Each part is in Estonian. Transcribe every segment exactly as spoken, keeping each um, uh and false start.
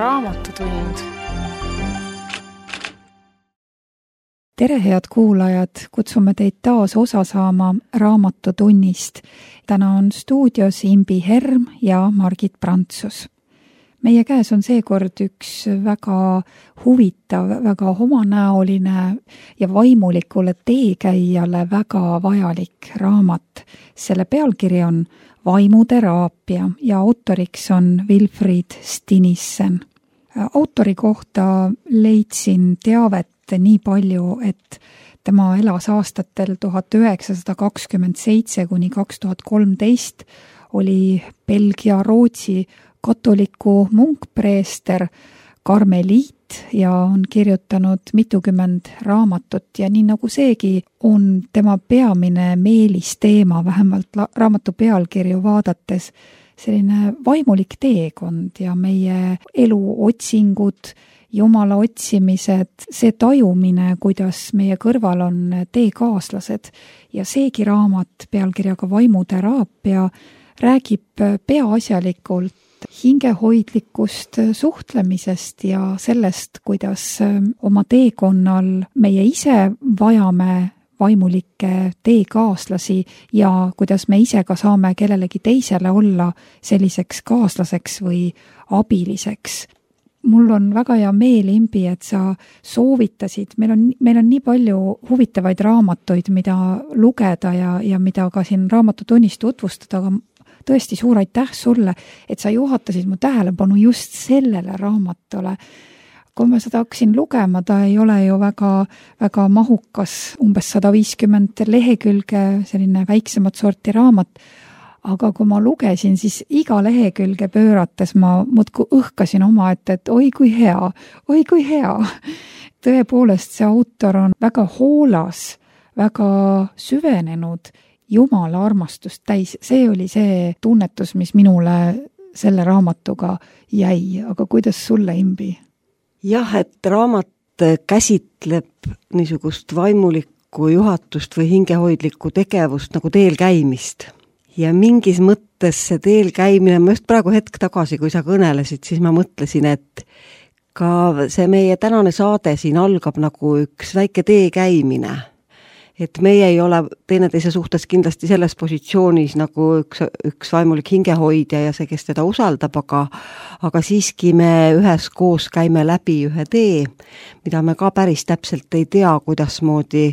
Raamatutund. Tere, head kuulajad! Kutsume teid taas osa saama Raamatutunnist. Täna on stuudios Imbi Herm ja Margit Prantsus. Meie käes on seekord üks väga huvitav, väga omanäoline ja vaimulikule teekäijale väga vajalik raamat. Selle pealkiri on Vaimuteraapia ja autoriks on Wilfried Stinissen. Autori kohta leidsin teavet nii palju, et tema elas aastatel tuhat üheksasada kakskümmend seitse kuni kaks tuhat kolmteist, oli Belgia-Rootsi katoliku munkpreester, karmeliit ja on kirjutanud mitukümmend raamatut ja nii nagu seegi on tema peamine meelisteema, vähemalt raamatu pealkirju vaadates, selline vaimulik teekond ja meie elu otsingud, Jumala otsimised, see tajumine, kuidas meie kõrval on teekaaslased ja seegi raamat pealkirjaga Vaimuteraapia räägib peaasjalikult hingehoidlikust suhtlemisest ja sellest, kuidas oma teekonnal meie ise vajame vaimulikke teekaaslasi ja kuidas me ise ka saame kellelegi teisele olla selliseks kaaslaseks või abiliseks. Mul on väga hea meel, Imbi, et sa soovitasid, meil on, meil on nii palju huvitavaid raamatuid, mida lugeda ja, ja mida ka siin Raamatutunnist tutvustada, aga tõesti suur aitäh sulle, et sa juhatasid mu tähelepanu just sellele raamatule. Kui ma seda hakkasin lugema, ta ei ole ju väga, väga mahukas, umbes sada viiskümmend lehekülge, selline väiksemat sorti raamat, aga kui ma lugesin, siis iga lehekülge pöörates ma muudkui õhkasin oma, et, et oi kui hea, oi kui hea. Tõepoolest, see autor on väga hoolas, väga süvenenud, Jumala armastust täis. See oli see tunnetus, mis minule selle raamatuga jäi, aga kuidas sulle, Imbi? Jah, et raamat käsitleb niisugust vaimulikku juhatust või hingehoidlikku tegevust nagu teel käimist. Ja mingis mõttes see teel käimine, ma just praegu hetk tagasi, kui sa kõnelesid, siis ma mõtlesin, et ka see meie tänane saade siin algab nagu üks väike tee käimine. Et meie ei ole teineteise suhtes kindlasti selles positsioonis nagu üks, üks vaimulik hingehoidja ja see, kes teda usaldab, aga, aga siiski me üheskoos käime läbi ühe tee, mida me ka päris täpselt ei tea, kuidas moodi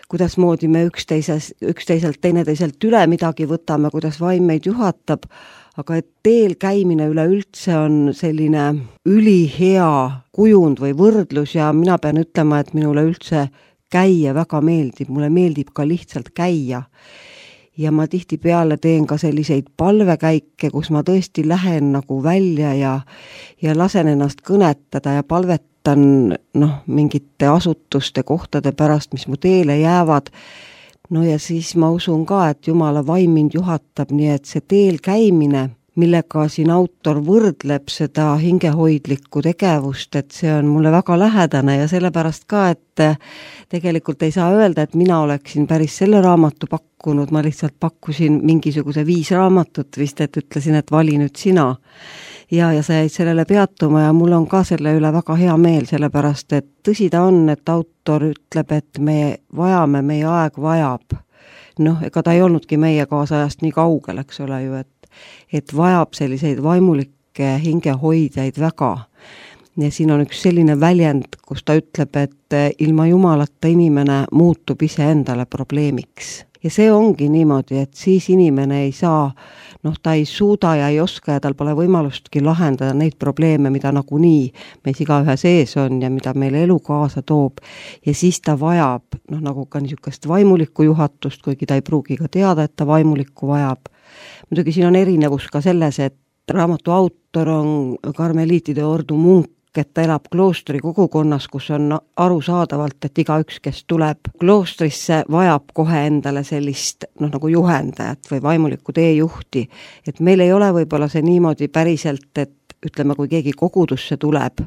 kuidas moodi me üksteises, üksteiselt teineteiselt üle midagi võtame, kuidas vaim meid juhatab, aga et teel käimine üleüldse on selline ülihea kujund või võrdlus ja mina pean ütlema, et minule üldse käia väga meeldib, mulle meeldib ka lihtsalt käia. Ja ma tihtipeale teen ka selliseid palvekäike, kus ma tõesti lähen nagu välja ja, ja lasen ennast kõnetada ja palvetada noh, mingite asutuste kohtade pärast, mis mu teele jäävad. No ja siis ma usun ka, et Jumala vaim mind juhatab, nii et see teel käimine, millega siin autor võrdleb seda hingehoidlikku tegevust, et see on mulle väga lähedane ja sellepärast ka, et tegelikult ei saa öelda, et mina oleksin päris selle raamatu pakkunud, ma lihtsalt pakkusin mingisuguse viis raamatut vist, et ütlesin, et vali nüüd sina. Ja, ja sa jäid sellele peatuma ja mul on ka selle üle väga hea meel, sellepärast, et tõsi ta on, et autor ütleb, et me vajame, meie aeg vajab. Noh, ega ta ei olnudki meie kaasajast nii kaugel, eks ole ju, et, et vajab selliseid vaimulikke hingehoidjaid väga. Ja siin on üks selline väljend, kus ta ütleb, et ilma Jumalata inimene muutub ise endale probleemiks. Ja see ongi niimoodi, et siis inimene ei saa, noh, ta ei suuda ja ei oska ja tal pole võimalustki lahendada neid probleeme, mida nagunii meis igaühe sees on ja mida meile elu kaasa toob. Ja siis ta vajab, noh, nagu ka niisugust vaimulikku juhatust, kuigi ta ei pruugi ka teada, et ta vaimulikku vajab. Muidugi siin on erinevus ka selles, et raamatu autor on karmeliitide ordu munk, et ta elab kloostri kogukonnas, kus on arusaadavalt, et igaüks, kes tuleb kloostrisse, vajab kohe endale sellist, noh, nagu juhendajat või vaimulikku teejuhti. Et meil ei ole võib-olla see niimoodi päriselt, et ütleme, kui keegi kogudusse tuleb,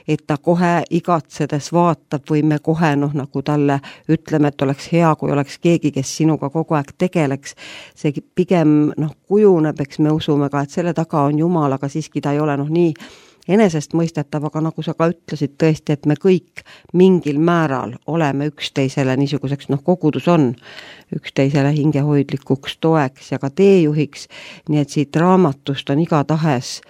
et ta kohe igatsedes vaatab või me kohe, noh, nagu talle ütleme, et oleks hea, kui oleks keegi, kes sinuga kogu aeg tegeleks. See pigem, noh, kujuneb, eks me usume ka, et selle taga on Jumal, aga siiski ta ei ole, noh, nii enesestmõistetav, aga nagu sa ka ütlesid tõesti, et me kõik mingil määral oleme üksteisele niisuguseks, noh, kogudus on üksteisele hingehoidlikuks toeks ja ka teejuhiks, nii et siit raamatust on igatahes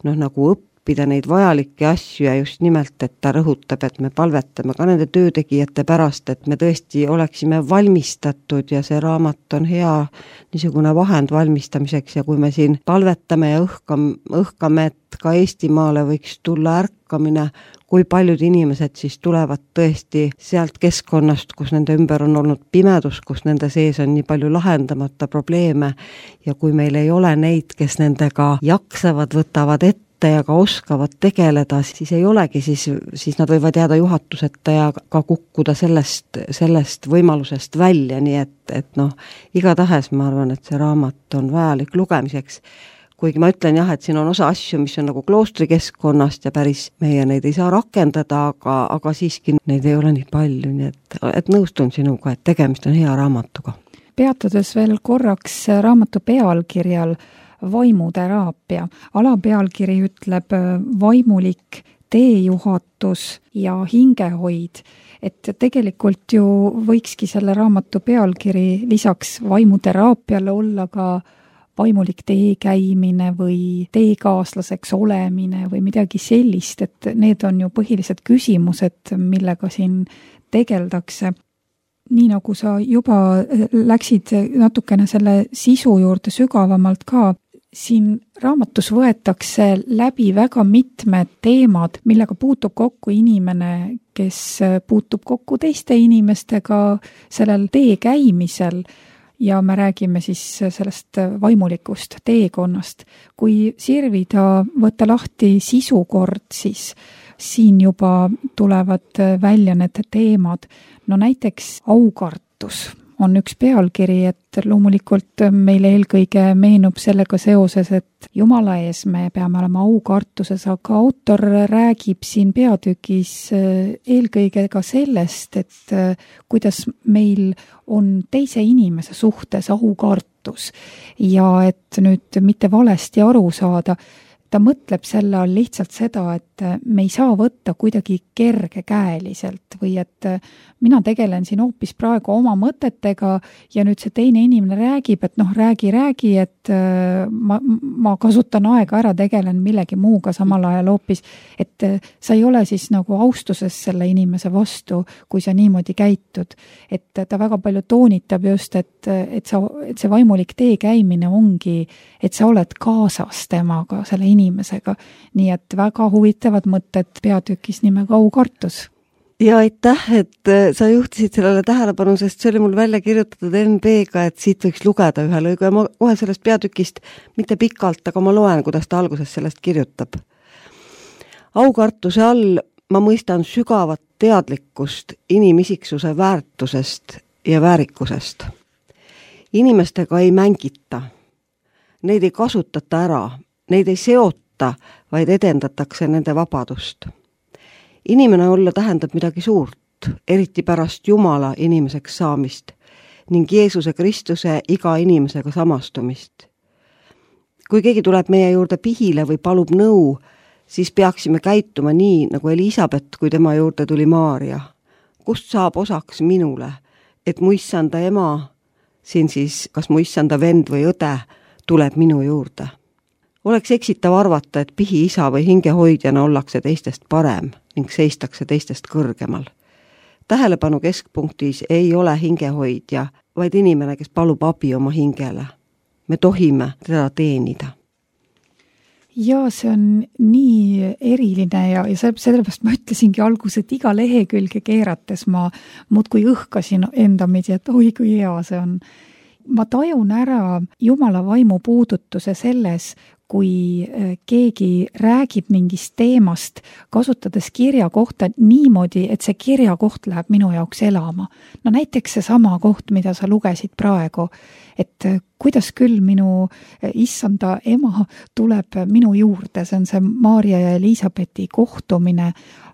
noh, nagu õppida neid vajalikke asju ja just nimelt, et ta rõhutab, et me palvetame ka nende töötegijate pärast, et me tõesti oleksime valmistatud ja see raamat on hea niisugune vahend valmistamiseks ja kui me siin palvetame ja õhkame, õhkame, et ka Eestimaale võiks tulla ärkamine, kui paljud inimesed siis tulevad tõesti sealt keskkonnast, kus nende ümber on olnud pimedus, kus nende sees on nii palju lahendamata probleeme ja kui meil ei ole neid, kes nendega jaksavad, võtavad ette ja ka oskavad tegeleda, siis ei olegi, siis, siis nad võivad jääda juhatuseta ja ka kukkuda sellest, sellest võimalusest välja, nii et, et noh, igatahes ma arvan, et see raamat on vajalik lugemiseks. Kuigi ma ütlen jah, et siin on osa asju, mis on nagu kloostrikeskkonnast ja päris meie neid ei saa rakendada, aga, aga siiski neid ei ole nii palju, nii et, et nõustun sinuga, et tegemist on hea raamatuga. Peatudes veel korraks raamatu pealkirjal vaimuteraapia. Alapealkiri ütleb vaimulik teejuhatus ja hingehoid. Et tegelikult ju võikski selle raamatu pealkiri lisaks vaimuteraapiale olla ka vaimulik tee käimine või teekaaslaseks olemine või midagi sellist, et need on ju põhilised küsimused, millega siin tegeldakse. Nii nagu sa juba läksid natukene selle sisu juurde sügavamalt ka, siin raamatus võetakse läbi väga mitmed teemad, millega puutub kokku inimene, kes puutub kokku teiste inimestega sellel tee käimisel ja me räägime siis sellest vaimulikust teekonnast. Kui sirvida võtta lahti sisukord, siis siin juba tulevad välja need teemad. No näiteks aukartus on üks pealkiri, et loomulikult meile eelkõige meenub sellega seoses, et Jumala ees me peame olema aukartuses, aga autor räägib siin peatükis eelkõige ka sellest, et kuidas meil on teise inimese suhtes aukartus ja et nüüd mitte valesti aru saada, ta mõtleb selle all lihtsalt seda, et me ei saa võtta kuidagi kergekäeliselt või et mina tegelen siin hoopis praegu oma mõtetega ja nüüd see teine inimene räägib, et noh, räägi, räägi, et ma, ma kasutan aega ära, tegelen millegi muuga samal ajal hoopis, et sa ei ole siis nagu austuses selle inimese vastu, kui sa niimoodi käitud. Et ta väga palju toonitab just, et, et, sa, et see vaimulik tee käimine ongi, et sa oled kaasas temaga, selle inimesega. Nii et väga huvitavad mõtted peatükis nimega aukartus. Ja aitäh, et sa juhtisid sellele tähelepanu, sest see oli mul välja kirjutatud N B-ga, et siit võiks lugeda ühe lõigu ja ma kohe sellest peatükist mitte pikalt, aga ma loen, kuidas ta alguses sellest kirjutab. Aukartuse all ma mõistan sügavat teadlikkust inimisiksuse väärtusest ja väärikusest. Inimestega ei mängita, neid ei kasutata ära, neid ei seota, vaid edendatakse nende vabadust. Inimene olla tähendab midagi suurt, eriti pärast Jumala inimeseks saamist ning Jeesuse Kristuse iga inimesega samastumist. Kui keegi tuleb meie juurde pihile või palub nõu, siis peaksime käituma nii, nagu Elisabet, kui tema juurde tuli Maaria. Kust saab osaks minule, et mu issanda ema, siin siis kas mu issanda vend või õde, tuleb minu juurde. Oleks eksitav arvata, et pihi isa või hingehoidjana ollakse teistest parem ning seistakse teistest kõrgemal. Tähelepanu keskpunktis ei ole hingehoidja, vaid inimene, kes palub abi oma hingele. Me tohime teda teenida. Ja see on nii eriline ja, ja sellepärast ma ütlesingi alguses, et iga lehekülge keerates ma muudkui õhkasin enda midi, et oi kui hea see on. Ma tajun ära Jumala vaimu puudutuse selles, kui keegi räägib mingist teemast, kasutades kirja kohta niimoodi, et see kirja koht läheb minu jaoks elama. No näiteks see sama koht, mida sa lugesid praegu, et kuidas küll minu issanda ema tuleb minu juurde, see on see Maarja ja Elisabethi kohtumine,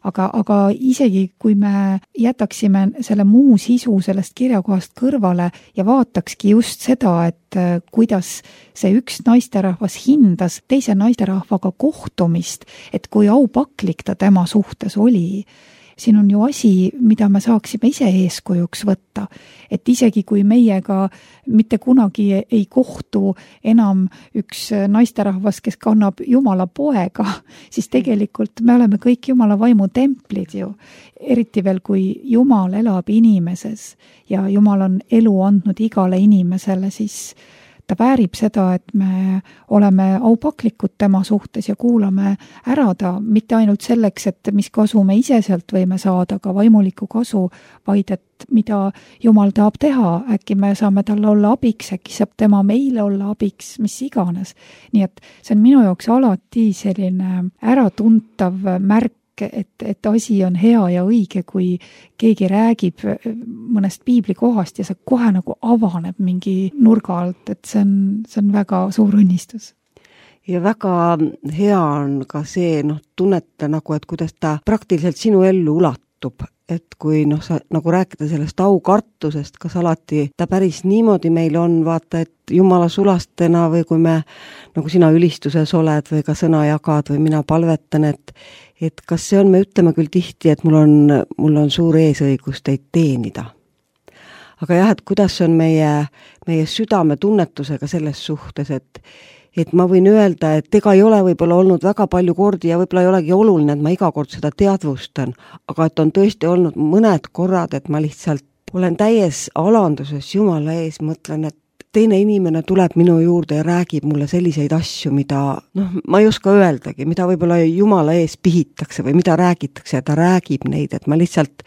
aga, aga isegi kui me jätaksime selle muu sisu sellest kirjakohast kõrvale ja vaatakski just seda, et kuidas see üks naisterahvas hindas teise naisterahvaga kohtumist, et kui aupaklik ta tema suhtes oli. Siin on ju asi, mida me saaksime ise eeskujuks võtta, et isegi kui meiega mitte kunagi ei kohtu enam üks naisterahvas, kes kannab Jumala poega, siis tegelikult me oleme kõik Jumala vaimu templid ju. Eriti veel, kui Jumal elab inimeses ja Jumal on elu andnud igale inimesele, siis ta väärib seda, et me oleme aupaklikud tema suhtes ja kuulame ära ta mitte ainult selleks, et mis kasu me ise sealt võime saada, aga vaimulikku kasu, vaid et mida Jumal tahab teha, äkki me saame talle olla abiks, äkki saab tema meile olla abiks, mis iganes. Nii et see on minu jaoks alati selline äratuntav märk, et, et asi on hea ja õige, kui keegi räägib mõnest piibli kohast ja see kohe nagu avaneb mingi nurga alt, et see on, see on väga suur õnnistus. Ja väga hea on ka see, noh, tunneta nagu, et kuidas ta praktiliselt sinu ellu ulatub, et kui noh, sa nagu rääkida sellest aukartusest, kas alati ta päris niimoodi meil on, vaata, et Jumala sulastena või kui me, nagu sina ülistuses oled või ka sõna jagad või mina palvetan, et et kas see on, me ütleme küll tihti, et mul on, mul on suur eesõigus teid teenida. Aga jah, et kuidas on meie, meie südame tunnetusega selles suhtes, et, et ma võin öelda, et ega ei ole võib-olla olnud väga palju kordi ja võib-olla ei olegi oluline, et ma iga kord seda teadvustan, aga et on tõesti olnud mõned korrad, et ma lihtsalt olen täies alanduses Jumala ees, mõtlen, et teine inimene tuleb minu juurde ja räägib mulle selliseid asju, mida, noh, ma ei oska öeldagi, mida võib-olla Jumala ees pihitakse või mida räägitakse ja ta räägib neid, et ma lihtsalt,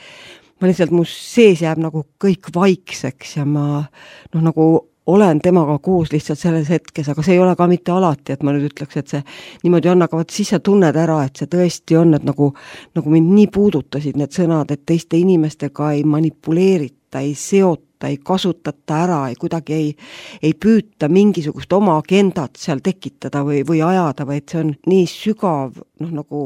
ma lihtsalt, mu sees jääb nagu kõik vaikseks ja ma, noh, nagu olen temaga koos lihtsalt selles hetkes, aga see ei ole ka mitte alati, et ma nüüd ütleks, et see niimoodi on, aga vaat siis sa tunned ära, et see tõesti on, et nagu, nagu mind nii puudutasid need sõnad, et teiste inimestega ei manipuleerita, ei seota, ei kasutata ära, ei kuidagi ei, ei püüta mingisugust oma agendat seal tekitada või, või ajada, vaid see on nii sügav, noh, nagu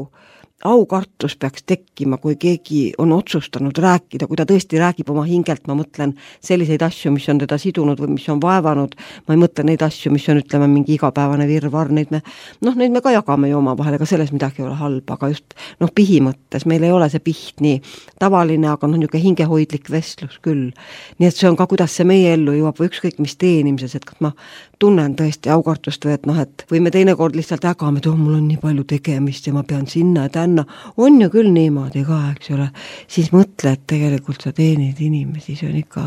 aukartus peaks tekkima, kui keegi on otsustanud rääkida, kui ta tõesti räägib oma hingelt, ma mõtlen selliseid asju, mis on teda sidunud või mis on vaevanud, ma ei mõtle neid asju, mis on, ütleme, mingi igapäevane virvar, neid me, noh, neid me ka jagame ju oma vahel, ega selles midagi ei ole halba, aga just, noh, pihi mõttes, meil ei ole see piht nii tavaline, aga noh, niisugune hingehoidlik vestlus küll. Nii et see on ka, kuidas see meie ellu jõuab või ükskõik mis teenimises, et kas ma tunnen tõesti aukartust või et noh, et või me teinekord lihtsalt ägame, et oh, mul on nii palju tegemist ja ma pean sinna ja tänna, on ju küll niimoodi ka, eks ole, siis mõtle, et tegelikult sa teenid inimesi, see on ikka.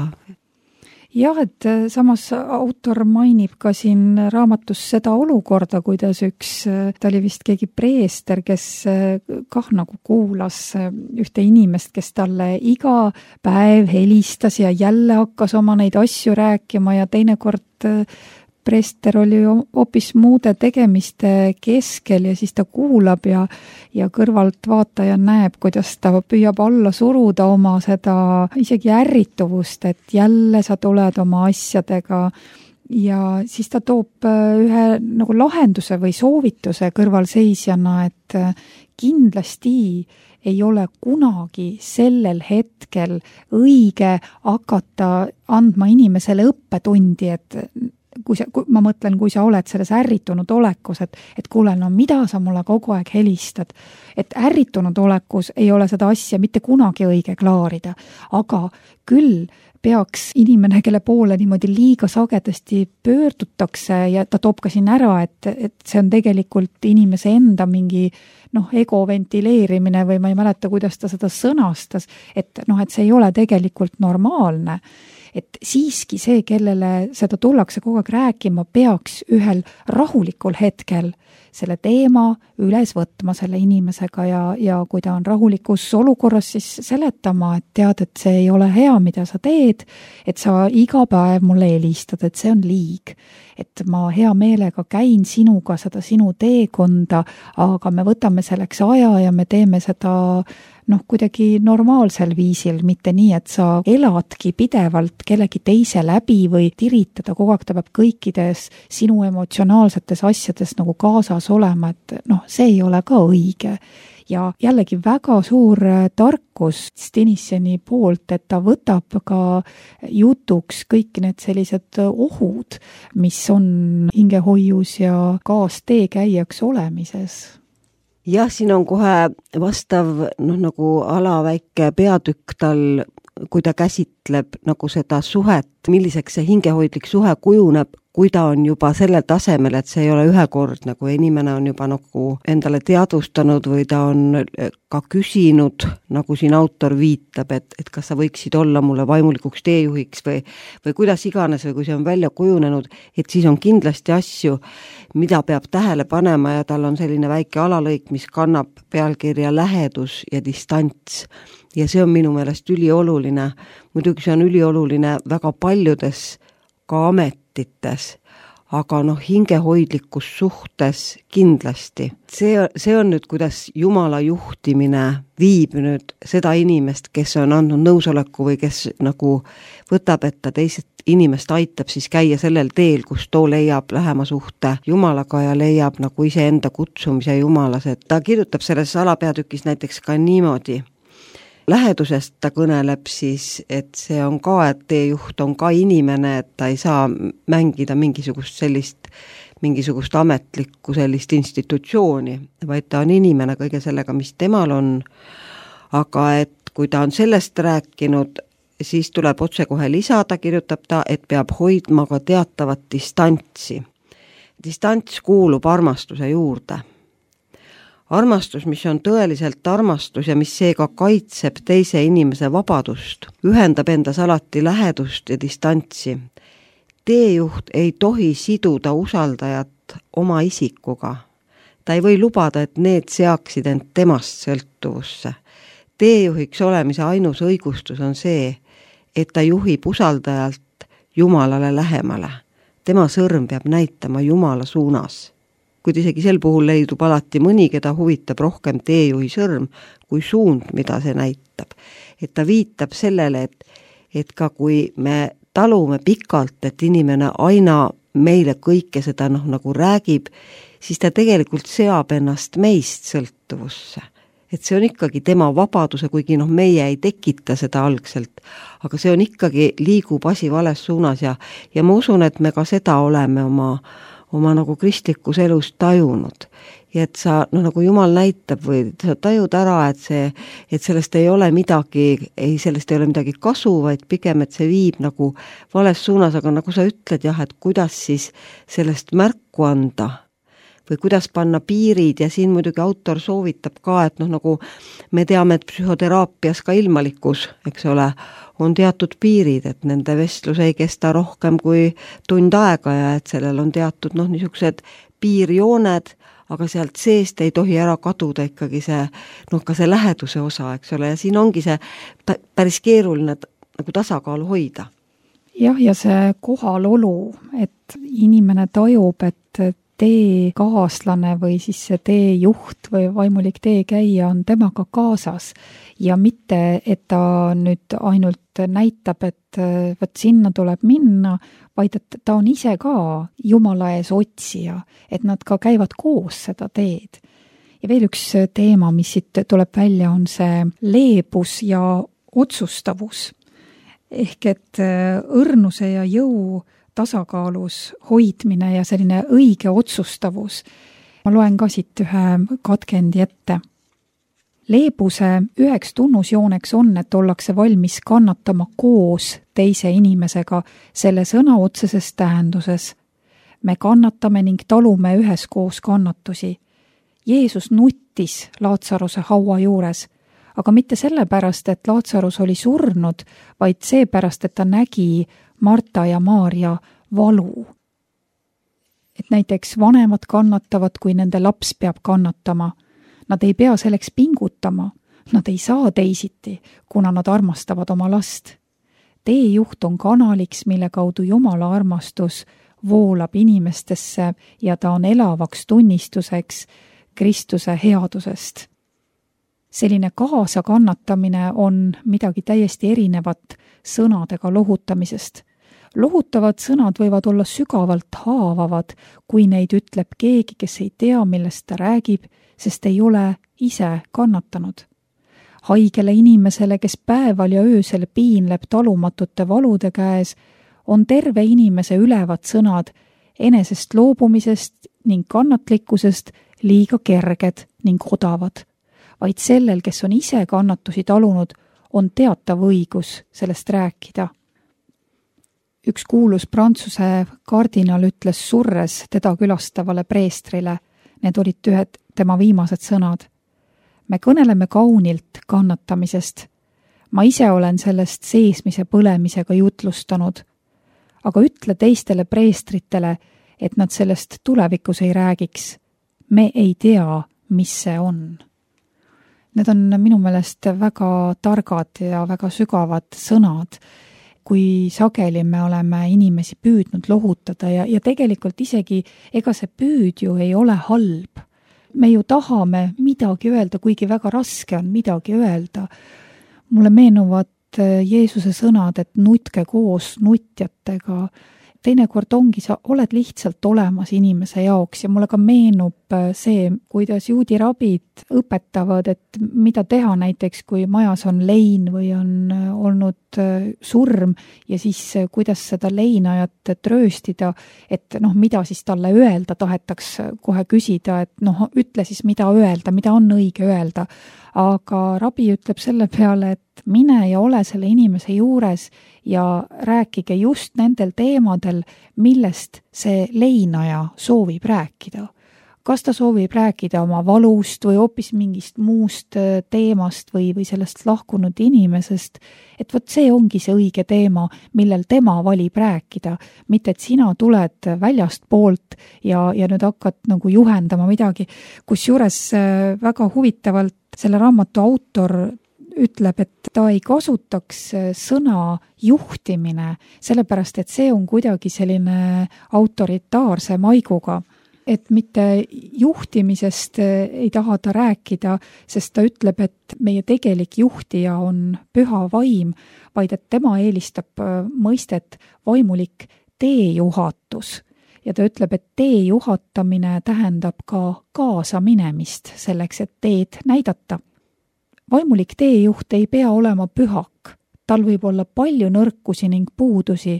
Jah, et samas autor mainib ka siin raamatus seda olukorda, kuidas üks, ta oli vist keegi preester, kes kah nagu kuulas ühte inimest, kes talle iga päev helistas ja jälle hakkas oma neid asju rääkima ja teinekord preester oli hoopis muude tegemiste keskel ja siis ta kuulab ja, ja kõrvalt vaataja näeb, kuidas ta püüab alla suruda oma seda isegi ärrituvust, et jälle sa tuled oma asjadega ja siis ta toob ühe nagu lahenduse või soovituse kõrvalseisjana, et kindlasti ei ole kunagi sellel hetkel õige hakata andma inimesele õppetundi, et kui sa, kui ma mõtlen, kui sa oled selles ärritunud olekus, et, et kuule, no mida sa mulle kogu aeg helistad, et ärritunud olekus ei ole seda asja mitte kunagi õige klaarida, aga küll peaks inimene, kelle poole niimoodi liiga sagedasti pöördutakse ja ta toob ka siin ära, et, et see on tegelikult inimese enda mingi noh, ego ventileerimine või ma ei mäleta, kuidas ta seda sõnastas, et noh, et see ei ole tegelikult normaalne. Et siiski see, kellele seda tullakse kogu aeg rääkima, peaks ühel rahulikul hetkel selle teema üles võtma selle inimesega ja, ja kui ta on rahulikus olukorras, siis seletama, et tead, et see ei ole hea, mida sa teed, et sa iga päev mulle helistad, et see on liig. Et ma hea meelega käin sinuga seda sinu teekonda, aga me võtame selleks aja ja me teeme seda noh, kuidagi normaalsel viisil, mitte nii, et sa eladki pidevalt kellegi teise läbi või tiritada, kogu aeg ta peab kõikides sinu emotsionaalsetes asjades nagu kaasas olema, et noh, see ei ole ka õige. Ja jällegi väga suur tarkus Denisseni poolt, et ta võtab ka jutuks kõik need sellised ohud, mis on hingehoius ja kaasteekäijaks olemises. Jah, siin on kohe vastav noh, nagu alaväike peatükk tal, kui ta käsitleb nagu seda suhet, milliseks see hingehoidlik suhe kujuneb, kui ta on juba sellel tasemel, et see ei ole ühekordne, kui inimene on juba nagu endale teadvustanud või ta on ka küsinud, nagu siin autor viitab, et, et kas sa võiksid olla mulle vaimulikuks teejuhiks või, või kuidas iganes või kui see on välja kujunenud, et siis on kindlasti asju, mida peab tähele panema ja tal on selline väike alalõik, mis kannab pealkirja lähedus ja distants. Ja see on minu meelest ülioluline. Muidugi see on ülioluline väga paljudes ka ametites, aga noh, hingehoidlikus suhtes kindlasti. See, see on nüüd, kuidas Jumala juhtimine viib nüüd seda inimest, kes on andnud nõusoleku või kes nagu võtab, et ta teised inimest aitab siis käia sellel teel, kus too leiab lähema suhte Jumalaga ja leiab nagu iseenda kutsumise Jumalas. Et ta kirjutab selles alapeatükis näiteks ka niimoodi. Lähedusest ta kõneleb siis, et see on ka, et teejuht on ka inimene, et ta ei saa mängida mingisugust sellist, mingisugust ametlikku sellist institutsiooni, vaid ta on inimene kõige sellega, mis temal on. Aga et kui ta on sellest rääkinud, siis tuleb otse kohe lisada, kirjutab ta, et peab hoidma ka teatavat distantsi. Distants kuulub armastuse juurde. Armastus, mis on tõeliselt armastus ja mis seega kaitseb teise inimese vabadust, ühendab endas alati lähedust ja distantsi. Teejuht ei tohi siduda usaldajat oma isikuga. Ta ei või lubada, et need seaksid end temast sõltuvusse. Teejuhiks olemise ainus õigustus on see, et ta juhib usaldajalt Jumalale lähemale. Tema sõrm peab näitama Jumala suunas. Kuid isegi sel puhul leidub alati mõni, keda huvitab rohkem teejuhi sõrm kui suund, mida see näitab. Et ta viitab sellele, et, et ka kui me talume pikalt, et inimene aina meile kõike seda noh, nagu räägib, siis ta tegelikult seab ennast meist sõltuvusse. Et see on ikkagi tema vabaduse, kuigi noh, meie ei tekita seda algselt, aga see on ikkagi, liigub asi vales suunas ja, ja ma usun, et me ka seda oleme oma oma nagu kristlikus elus tajunud. Ja et sa, no nagu Jumal näitab või sa tajud ära, et see, et sellest ei ole midagi, ei, sellest ei ole midagi kasu, vaid pigem, et see viib nagu vales suunas, aga nagu sa ütled jah, et kuidas siis sellest märku anda või kuidas panna piirid ja siin muidugi autor soovitab ka, et noh, nagu me teame, et psühhoteraapias ka ilmalikus, eks ole, on teatud piirid, et nende vestlus ei kesta rohkem kui tund aega ja et sellel on teatud noh, niisugused piirjooned, aga sealt seest ei tohi ära kaduda ikkagi see, noh, ka see läheduse osa, eks ole, ja siin ongi see päris keeruline nagu tasakaalu hoida. Jah, ja see kohalolu, et inimene tajub, et tee kaaslane või siis see teejuht või vaimulik teekäija on temaga kaasas ja mitte, et ta nüüd ainult näitab, et võt sinna tuleb minna, vaid et ta on ise ka Jumala ees otsija, et nad ka käivad koos seda teed. Ja veel üks teema, mis siit tuleb välja, on see leebus ja otsustavus. Ehk et õrnuse ja jõu tasakaalus hoidmine ja selline õige otsustavus. Ma loen ka siit ühe katkendi ette. Leebuse üheks tunnusjooneks on, et ollakse valmis kannatama koos teise inimesega selle sõna otseses tähenduses. Me kannatame ning talume üheskoos kannatusi. Jeesus nuttis Laatsaruse haua juures, aga mitte sellepärast, et Laatsarus oli surnud, vaid seepärast, et ta nägi Marta ja Maarja valu. Et näiteks vanemad kannatavad, kui nende laps peab kannatama. Nad ei pea selleks pingutama. Nad ei saa teisiti, kuna nad armastavad oma last. Teejuht on kanaliks, mille kaudu Jumala armastus voolab inimestesse ja ta on elavaks tunnistuseks Kristuse headusest. selline kaasakannatamine on midagi täiesti erinevat sõnadega lohutamisest. Lohutavad sõnad võivad olla sügavalt haavavad, kui neid ütleb keegi, kes ei tea, millest ta räägib, sest ei ole ise kannatanud. Haigele inimesele, kes päeval ja öösel piinleb talumatute valude käes, on terve inimese ülevad sõnad enesest loobumisest ning kannatlikkusest liiga kerged ning odavad. Vaid sellel, kes on ise kannatusi talunud, on teatav õigus sellest rääkida. Üks kuulus Prantsuse kardinal ütles surres teda külastavale preestrile, need olid ühed tema viimased sõnad. Me kõneleme kaunilt kannatamisest. Ma ise olen sellest seesmise põlemisega jutlustanud, aga ütle teistele preestritele, et nad sellest tulevikus ei räägiks. Me ei tea, mis see on. Need on minu meelest väga targad ja väga sügavad sõnad, kui sageli me oleme inimesi püüdnud lohutada ja, ja tegelikult isegi ega see püüd ju ei ole halb. Me ju tahame midagi öelda, kuigi väga raske on midagi öelda. Mulle meenuvad Jeesuse sõnad, et nutke koos nutjatega. Teinekord ongi, sa oled lihtsalt olemas inimese jaoks ja mulle ka meenub see, kuidas juudi rabid õpetavad, et mida teha näiteks, kui majas on lein või on olnud surm ja siis kuidas seda leinajat trööstida, et noh, mida siis talle öelda, tahetaks kohe küsida, et noh, ütle siis, mida öelda, mida on õige öelda. Aga rabi ütleb selle peale, et mine ja ole selle inimese juures ja rääkige just nendel teemadel, millest see leinaja soovib rääkida. Kas ta soovib rääkida oma valust või hoopis mingist muust teemast või, või sellest lahkunud inimesest, et vot see ongi see õige teema, millel tema valib rääkida, mitte et sina tuled väljast poolt ja, ja nüüd hakkad nagu juhendama midagi, kusjuures väga huvitavalt selle raamatu autor ütleb, et ta ei kasutaks sõna juhtimine, sellepärast et see on kuidagi selline autoritaarse maiguga, et mitte juhtimisest ei taha ta rääkida, sest ta ütleb, et meie tegelik juhtija on püha vaim, vaid et tema eelistab mõistet vaimulik teejuhatus. Ja ta ütleb, et tee juhatamine tähendab ka kaasaminemist selleks, et teed näidata. Vaimulik teejuht ei pea olema pühak, tal võib olla palju nõrkusi ning puudusi,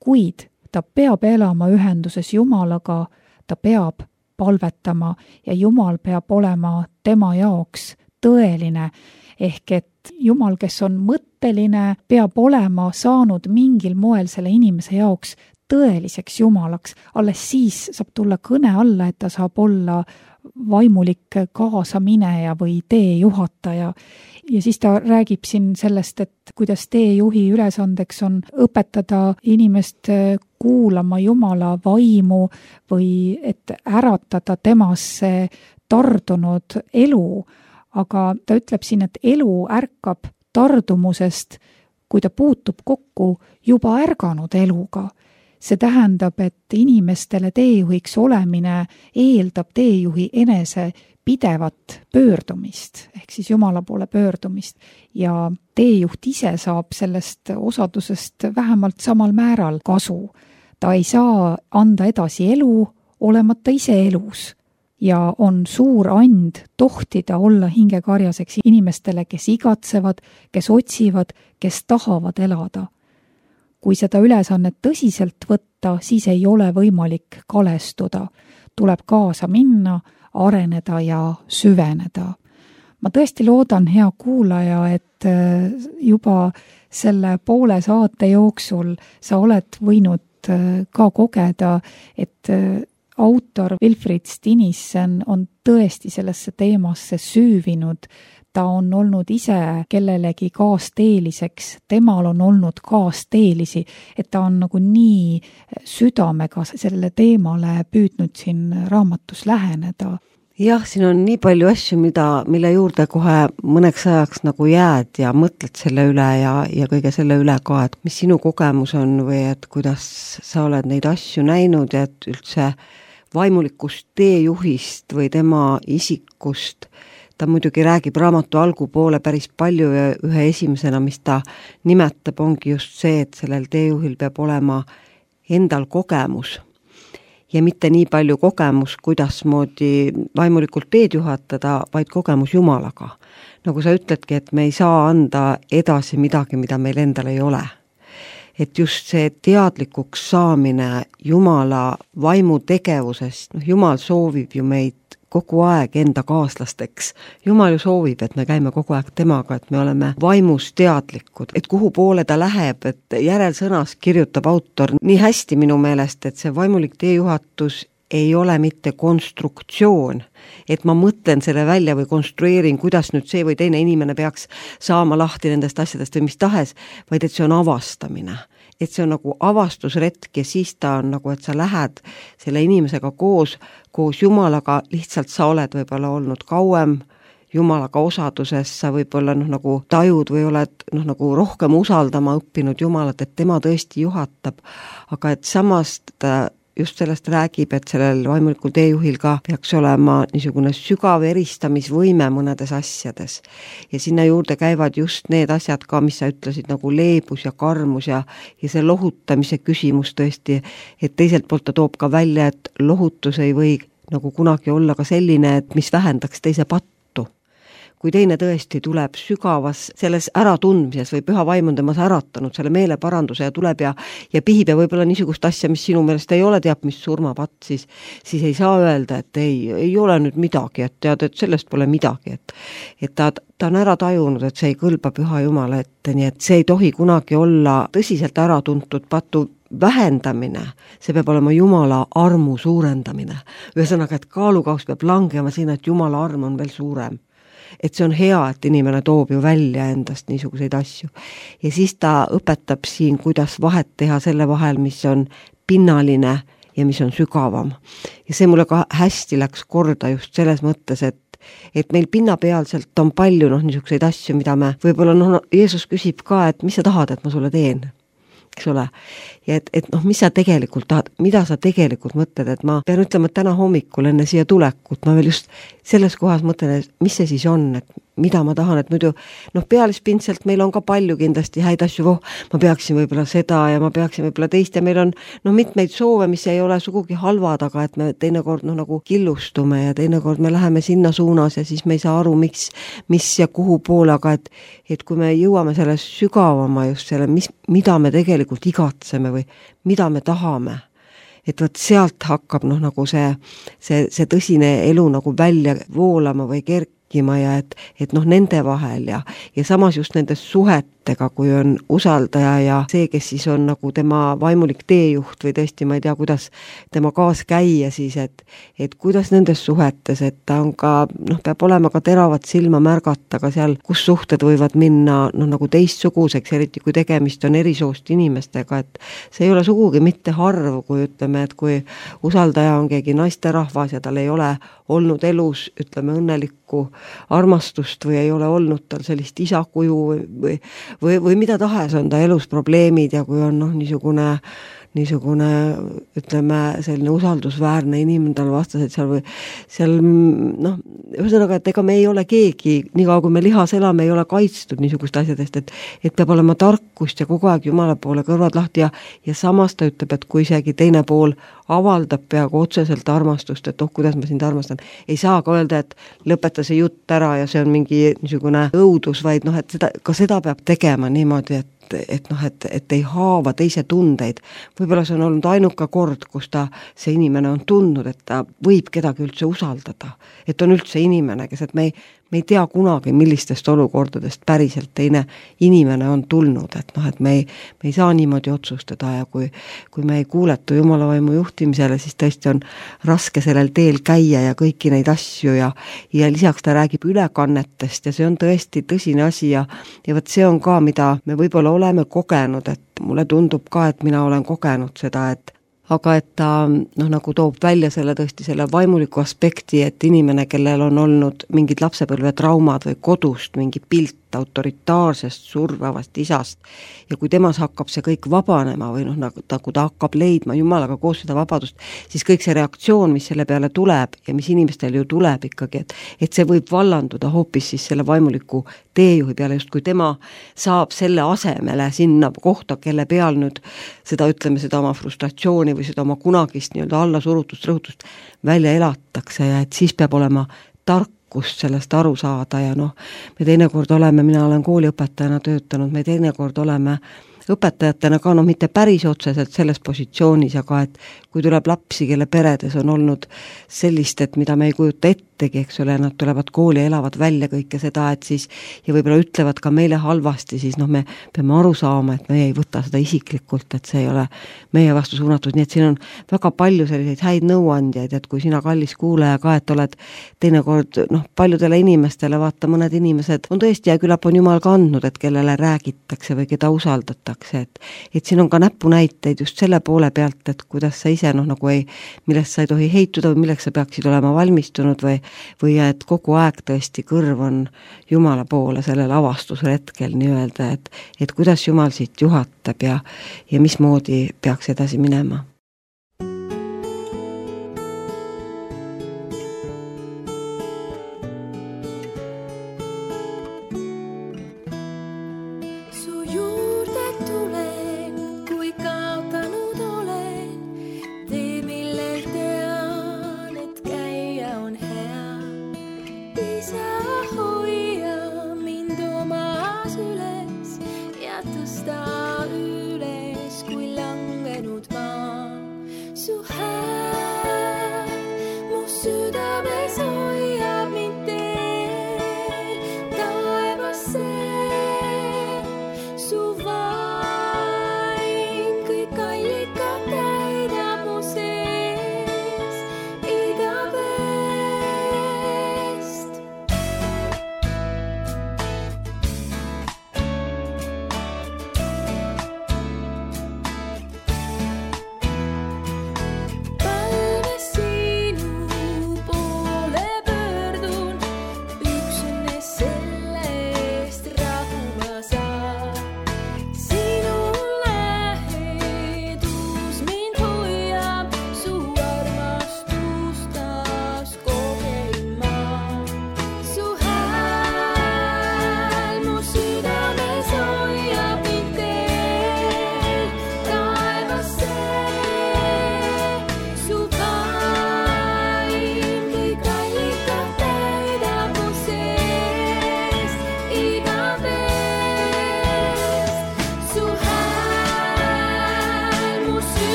kuid ta peab elama ühenduses Jumalaga, ta peab palvetama ja Jumal peab olema tema jaoks tõeline, ehk et Jumal, kes on mõtteline, peab olema saanud mingil moel selle inimese jaoks tõeliseks Jumalaks, alles siis saab tulla kõne alla, et ta saab olla vaimulik kaasamineja või teejuhataja. Ja siis ta räägib siin sellest, et kuidas teejuhi ülesandeks on õpetada inimest kuulama Jumala vaimu või et äratada temasse tardunud elu. Aga ta ütleb siin, et elu ärkab tardumusest, kui ta puutub kokku juba ärganud eluga. See tähendab, et inimestele teejuhiks olemine eeldab teejuhi enese pidevat pöördumist, ehk siis Jumala poole pöördumist ja teejuht ise saab sellest osadusest vähemalt samal määral kasu. Ta ei saa anda edasi elu, olemata ise elus ja on suur and tohtida olla hingekarjaseks inimestele, kes igatsevad, kes otsivad, kes tahavad elada. Kui seda ülesannet tõsiselt võtta, siis ei ole võimalik kalestuda. Tuleb kaasa minna, areneda ja süveneda. Ma tõesti loodan, hea kuulaja, et juba selle poole saate jooksul sa oled võinud ka kogeda, et autor Wilfrid Stinissen on tõesti sellesse teemasse süüvinud. Ta on olnud ise kellelegi kaasteeliseks, temal on olnud kaasteelisi, et ta on nagu nii südamega selle teemale püüdnud siin raamatus läheneda. Jah, siin on nii palju asju, mida, mille juurde kohe mõneks ajaks nagu jääd ja mõtled selle üle ja, ja kõige selle üle ka, et mis sinu kogemus on või et kuidas sa oled neid asju näinud ja et üldse vaimulikust teejuhist või tema isikust ta muidugi räägib raamatu algupoole päris palju ja ühe esimesena, mis ta nimetab, ongi just see, et sellel teejuhil peab olema endal kogemus ja mitte nii palju kogemus, kuidas moodi vaimulikult teed juhatada, vaid kogemus Jumalaga. Nagu sa ütledki, et me ei saa anda edasi midagi, mida meil endal ei ole. Et just see teadlikuks saamine Jumala vaimu tegevusest, noh, Jumal soovib ju meid kogu aeg enda kaaslasteks. Jumal ju soovib, et me käime kogu aeg temaga, et me oleme vaimus teadlikud, et kuhu poole ta läheb, et järelsõnas kirjutab autor nii hästi minu meelest, et see vaimulik teejuhatus ei ole mitte konstruktsioon, et ma mõtlen selle välja või konstrueerin, kuidas nüüd see või teine inimene peaks saama lahti nendest asjadest või mis tahes, vaid et see on avastamine. Et see on nagu avastusretk ja siis ta on nagu, et sa lähed selle inimesega koos, koos Jumalaga, lihtsalt sa oled võib-olla olnud kauem Jumalaga osaduses, sa võib-olla noh, nagu tajud või oled noh, nagu rohkem usaldama õppinud Jumalat, et tema tõesti juhatab, aga et samast ta just sellest räägib, et sellel vaimulikul teejuhil ka peaks olema niisugune sügav eristamisvõime mõnedes asjades. Ja sinna juurde käivad just need asjad ka, mis sa ütlesid, nagu leebus ja karmus ja, ja see lohutamise küsimus tõesti, et teiselt poolt ta toob ka välja, et lohutus ei või nagu kunagi olla ka selline, et mis vähendaks teise pattu. Kui teine tõesti tuleb sügavas selles äratundmises või püha vaim on temas äratanud selle meeleparanduse ja tuleb ja, ja pihib ja võib-olla niisugust asja, mis sinu meelest ei ole teab, mis surmapatt, siis, siis ei saa öelda, et ei, ei ole nüüd midagi, et tead, et sellest pole midagi, et, et ta, ta on ära tajunud, et see ei kõlba püha Jumala ette, nii et see ei tohi kunagi olla tõsiselt äratuntud patu vähendamine, see peab olema Jumala armu suurendamine. Ühesõnaga, et kaalukaus peab langema sinna, et Jumala arm on veel suurem. Et see on hea, et inimene toob ju välja endast niisuguseid asju. Ja siis ta õpetab siin, kuidas vahet teha selle vahel, mis on pinnaline ja mis on sügavam. Ja see mulle ka hästi läks korda just selles mõttes, et et meil pinnapealselt on palju noh, niisuguseid asju, mida me võib-olla noh, Jeesus küsib ka, et mis sa tahad, et ma sulle teen? Eks ole. Ja et, et noh, mis sa tegelikult tahad, mida sa tegelikult mõtled, et ma pean ütlema, et täna hommikul enne siia tulekut, ma veel just selles kohas mõtlen, et mis see siis on, et mida ma tahan, et muidu noh, pealispindselt meil on ka palju kindlasti häid asju, voh, ma peaksin võib-olla seda ja ma peaksin võib-olla teist ja meil on noh, mitmeid soove, mis ei ole sugugi halvad, aga et me teinekord noh, nagu killustume ja teinekord me läheme sinna suunas ja siis me ei saa aru, miks, mis ja kuhu poole, aga et, et kui me jõuame selle sügavama just selle, mis, mida me tegelikult igatseme või mida me tahame, et võt sealt hakkab noh, nagu see, see, see tõsine elu nagu välja voolama või kerkima ja et, et noh, nende vahel ja, ja samas just nendes suhetega, kui on usaldaja ja see, kes siis on nagu tema vaimulik teejuht või tõesti, ma ei tea, kuidas tema kaas käia siis, et, et kuidas nendes suhetes, et ta on ka, noh, peab olema ka teravat silma märgata ka seal, kus suhted võivad minna noh, nagu teistsuguseks, eriti kui tegemist on erisoost inimestega, et see ei ole sugugi mitte harv, kui ütleme, et kui usaldaja on keegi naisterahvas ja tal ei ole olnud elus, ütleme, õnnelikku armastust või ei ole olnud tal sellist isakuju või, või, või, või mida tahes on ta elus probleemid ja kui on noh, niisugune niisugune, ütleme, selline usaldusväärne inimene tal vastased seal või seal, noh, ühesõnaga, et ega me ei ole keegi, niikaua kui me lihas elame, ei ole kaitstud niisugust asjadest, et, et peab olema tarkust ja kogu aeg Jumala poole kõrvad lahti ja, ja samas ta ütleb, et kui isegi teine pool avaldab peaaegu otseselt armastust, et oh, kuidas ma sind armastan, ei saa ka öelda, et lõpeta see jutt ära ja see on mingi niisugune õudus, vaid noh, et seda, ka seda peab tegema niimoodi, et et noh, et, et ei haava teise tundeid. Võib-olla see on olnud ainuka kord, kus ta, see inimene on tundnud, et ta võib kedagi üldse usaldada. Et on üldse inimene, kes, et me ei, me ei tea kunagi, millistest olukordadest päriselt teine inimene on tulnud, et noh, et me ei, me ei saa niimoodi otsustada ja kui, kui me ei kuuletu Jumala vaimu juhtimisele, siis tõesti on raske sellel teel käia ja kõiki neid asju ja, ja lisaks ta räägib ülekannetest ja see on tõesti tõsine asi ja, ja võt see on ka, mida me võib-olla oleme kogenud, et mulle tundub ka, et mina olen kogenud seda, et aga et ta noh, nagu toob välja selle tõesti selle vaimuliku aspekti, et inimene, kellel on olnud mingid lapsepõlve traumad või kodust mingi pilt autoritaarsest survavast isast ja kui temas hakkab see kõik vabanema või noh, nagu ta, kui ta hakkab leidma Jumalaga koos seda vabadust, siis kõik see reaktsioon, mis selle peale tuleb ja mis inimestel ju tuleb ikkagi, et, et see võib vallanduda hoopis siis selle vaimuliku teejuhi peale, just kui tema saab selle asemele sinna kohta, kelle peal nüüd seda, ütleme, seda oma frustratsiooni või seda oma kunagist nii-öelda allasurutust, rõhutust välja elatakse ja et siis peab olema tarkust sellest aru saada ja noh, me teinekord oleme, mina olen kooliõpetajana töötanud, me teinekord oleme õpetajatena ka noh, mitte päris otseselt selles positsioonis, aga et kui tuleb lapsi, kelle peredes on olnud sellist, et mida me ei kujuta ettegi, eks ole, nad tulevad kooli ja elavad välja kõike seda, et siis ja võib-olla ütlevad ka meile halvasti, siis noh, me peame aru saama, et me ei võta seda isiklikult, et see ei ole meie vastu suunatud, nii et siin on väga palju selliseid häid nõuandjaid, et kui sina, kallis kuulaja ka, et oled teinekord noh, paljudele inimestele, vaata, mõned inimesed on tõesti ja küllap on Jumal ka andnud, et kellele räägitakse või keda usaldatakse, et, et siin on ka näpunäiteid just selle poole pealt, et kuidas sa ise noh, nagu ei, millest sa ei tohi heituda või milleks sa peaksid olema valmistunud või, või et kogu aeg tõesti kõrv on Jumala poole sellel avastusretkel nii-öelda, et, et kuidas Jumal siit juhatab ja, ja mismoodi peaks edasi minema.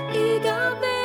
Igavest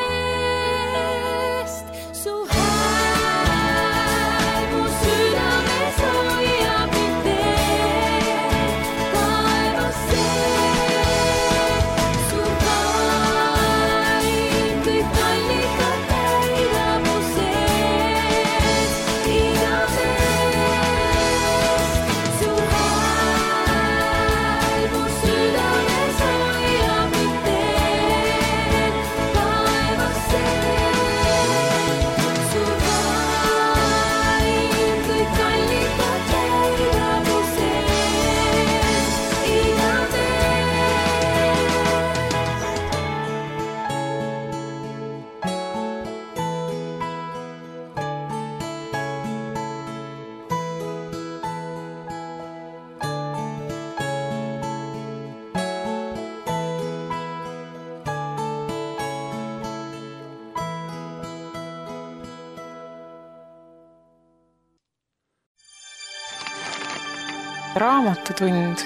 Raamatutund.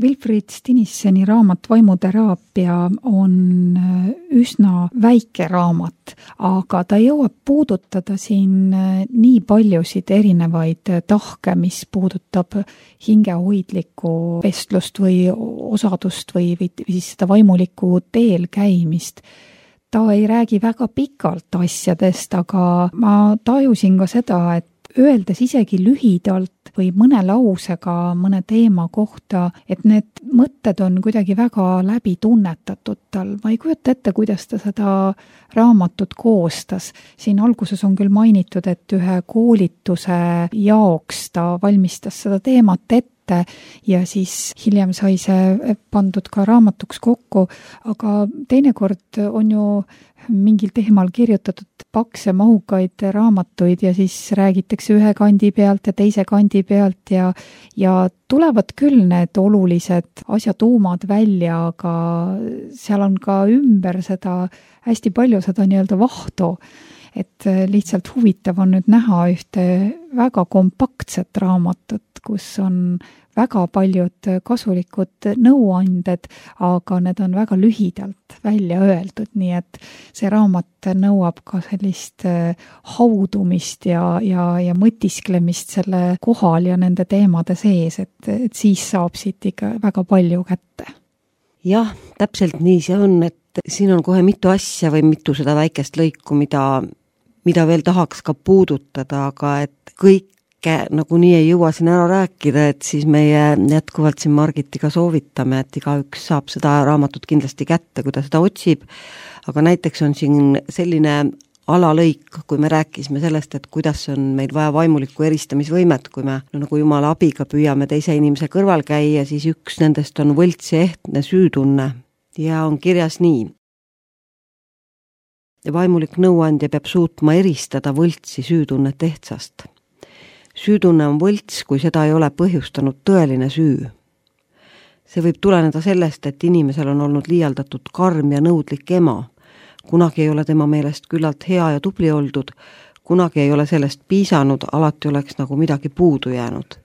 Wilfrid Stinisseni raamat Vaimuteraapia on üsna väike raamat, aga ta jõuab puudutada siin nii paljusid erinevaid tahke, mis puudutab hingehoidlikku vestlust või osadust või, või siis seda vaimulikku teel käimist. Ta ei räägi väga pikalt asjadest, aga ma tajusin ka seda, et öeldes isegi lühidalt või mõne lausega mõne teema kohta, et need mõtted on kuidagi väga läbi tunnetatud tal. Ma ei kujuta ette, kuidas ta seda raamatut koostas. Siin alguses on küll mainitud, et ühe koolituse jaoks ta valmistas seda teemat ette ja siis hiljem sai see pandud ka raamatuks kokku, aga teinekord on ju mingil teemal kirjutatud pakse mahukaid raamatuid ja siis räägitakse ühe kandi pealt ja teise kandi pealt ja, ja tulevad küll need olulised asjatuumad välja, aga seal on ka ümber seda hästi palju seda nii-öelda vahtu, et lihtsalt huvitav on nüüd näha ühte väga kompaktset raamatut, kus on väga paljud kasulikud nõuanded, aga need on väga lühidalt välja öeldud, nii et see raamat nõuab ka sellist haudumist ja, ja, ja mõtisklemist selle kohal ja nende teemade sees, et, et siis saab siit ikka väga palju kätte. Jah, täpselt nii see on, et siin on kohe mitu asja või mitu seda väikest lõiku, mida, mida veel tahaks ka puudutada, aga et kõik nagu nii ei jõua siin ära rääkida, et siis meie jätkuvalt siin Margitiga soovitame, et igaüks saab seda raamatut kindlasti kätte, kui ta seda otsib, aga näiteks on siin selline alalõik, kui me rääkisime sellest, et kuidas on meil vaja vaimulikku eristamisvõimet, kui me no, nagu Jumala abiga püüame teise inimese kõrval käia, siis üks nendest on võlts ja ehtne süütunne ja on kirjas nii. Vaimulik nõuandja peab suutma eristada võltsi süütunnet ehtsast. Süütunne on võlts, kui seda ei ole põhjustanud tõeline süü. See võib tuleneda sellest, et inimesel on olnud liialdatud karm ja nõudlik ema. Kunagi ei ole tema meelest küllalt hea ja tubli oldud, kunagi ei ole sellest piisanud, alati oleks nagu midagi puudu jäänud.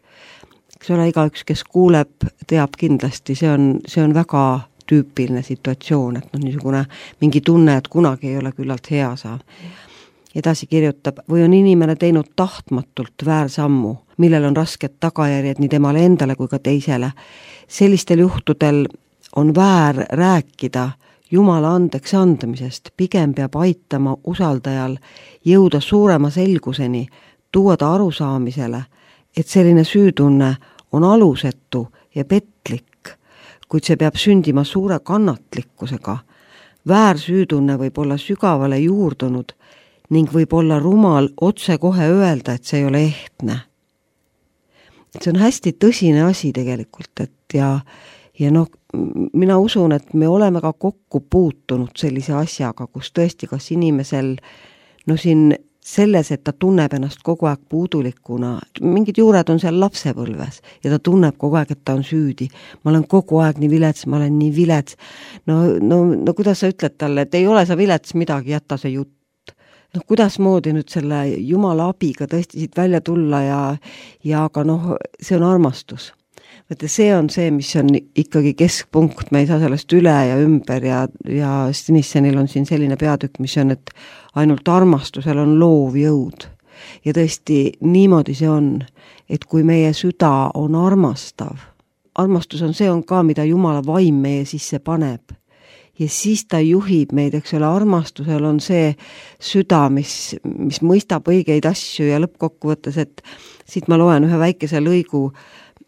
Eks ole, igaüks, kes kuuleb, teab kindlasti, see on, see on väga tüüpiline situatsioon, et no, niisugune mingi tunne, et kunagi ei ole küllalt hea saa. Edasi kirjutab, või on inimene teinud tahtmatult väärsammu, millel on rasked tagajärjed nii temale endale kui ka teisele. Sellistel juhtudel on väär rääkida Jumala andeks andmisest, pigem peab aitama usaldajal jõuda suurema selguseni, tuua ta arusaamisele, et selline süütunne on alusetu ja petlik, kuid see peab sündima suure kannatlikkusega. Väärsüütunne võib olla sügavale juurdunud ning võib olla rumal otse kohe öelda, et see ei ole ehtne. See on hästi tõsine asi tegelikult, et ja, ja noh, mina usun, et me oleme ka kokku puutunud sellise asjaga, kus tõesti kas inimesel, no siin selles, et ta tunneb ennast kogu aeg puudulikuna, mingid juured on seal lapsepõlves ja ta tunneb kogu aeg, et ta on süüdi. Ma olen kogu aeg nii vilets, ma olen nii vilets. No, no, no kuidas sa ütled talle, et ei ole sa vilets midagi, jätta see jutt. noh, kuidas moodi nüüd selle Jumala abiga tõesti siit välja tulla ja, ja aga noh, see on armastus. Võtte, see on see, mis on ikkagi keskpunkt, me ei saa sellest üle ja ümber ja, ja Stinissenil on siin selline peatükk, mis on, et ainult armastusel on loov jõud. Ja tõesti niimoodi see on, et kui meie süda on armastav, armastus on see on ka, mida Jumala vaim meie sisse paneb. Ja siis ta juhib meid, eks ole, armastusel on see süda, mis, mis mõistab õigeid asju ja lõppkokkuvõttes, et siit ma loen ühe väikese lõigu,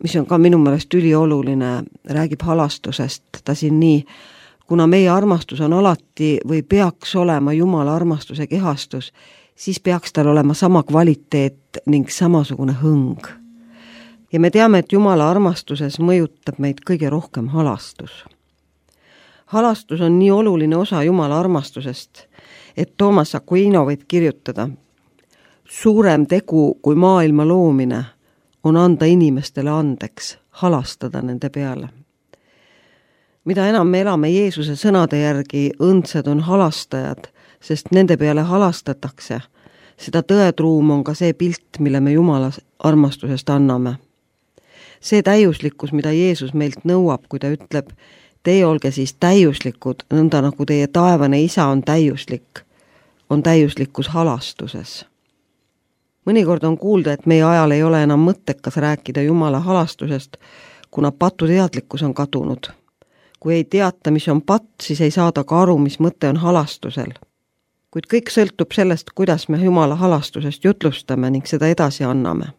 mis on ka minu meelest ülioluline, räägib halastusest, ta siin nii, kuna meie armastus on alati või peaks olema Jumala armastuse kehastus, siis peaks tal olema sama kvaliteet ning samasugune hõng. Ja me teame, et Jumala armastuses mõjutab meid kõige rohkem halastus. Halastus on nii oluline osa Jumala armastusest, et Toomas Aquino võib kirjutada, suurem tegu kui maailma loomine on anda inimestele andeks, halastada nende peale. Mida enam me elame Jeesuse sõnade järgi, õndsad on halastajad, sest nende peale halastatakse, seda tõetruum on ka see pilt, mille me Jumala armastusest anname. See täiuslikkus, mida Jeesus meilt nõuab, kui ta ütleb, teie olge siis täiuslikud, nõnda nagu teie taevane isa on täiuslik, on täiuslikkus halastuses. Mõnikord on kuulda, et meie ajal ei ole enam mõttekas rääkida Jumala halastusest, kuna patuteadlikkus on kadunud. Kui ei teata, mis on patt, siis ei saada ka aru, mis mõte on halastusel. Kuid kõik sõltub sellest, kuidas me Jumala halastusest jutlustame ning seda edasi anname.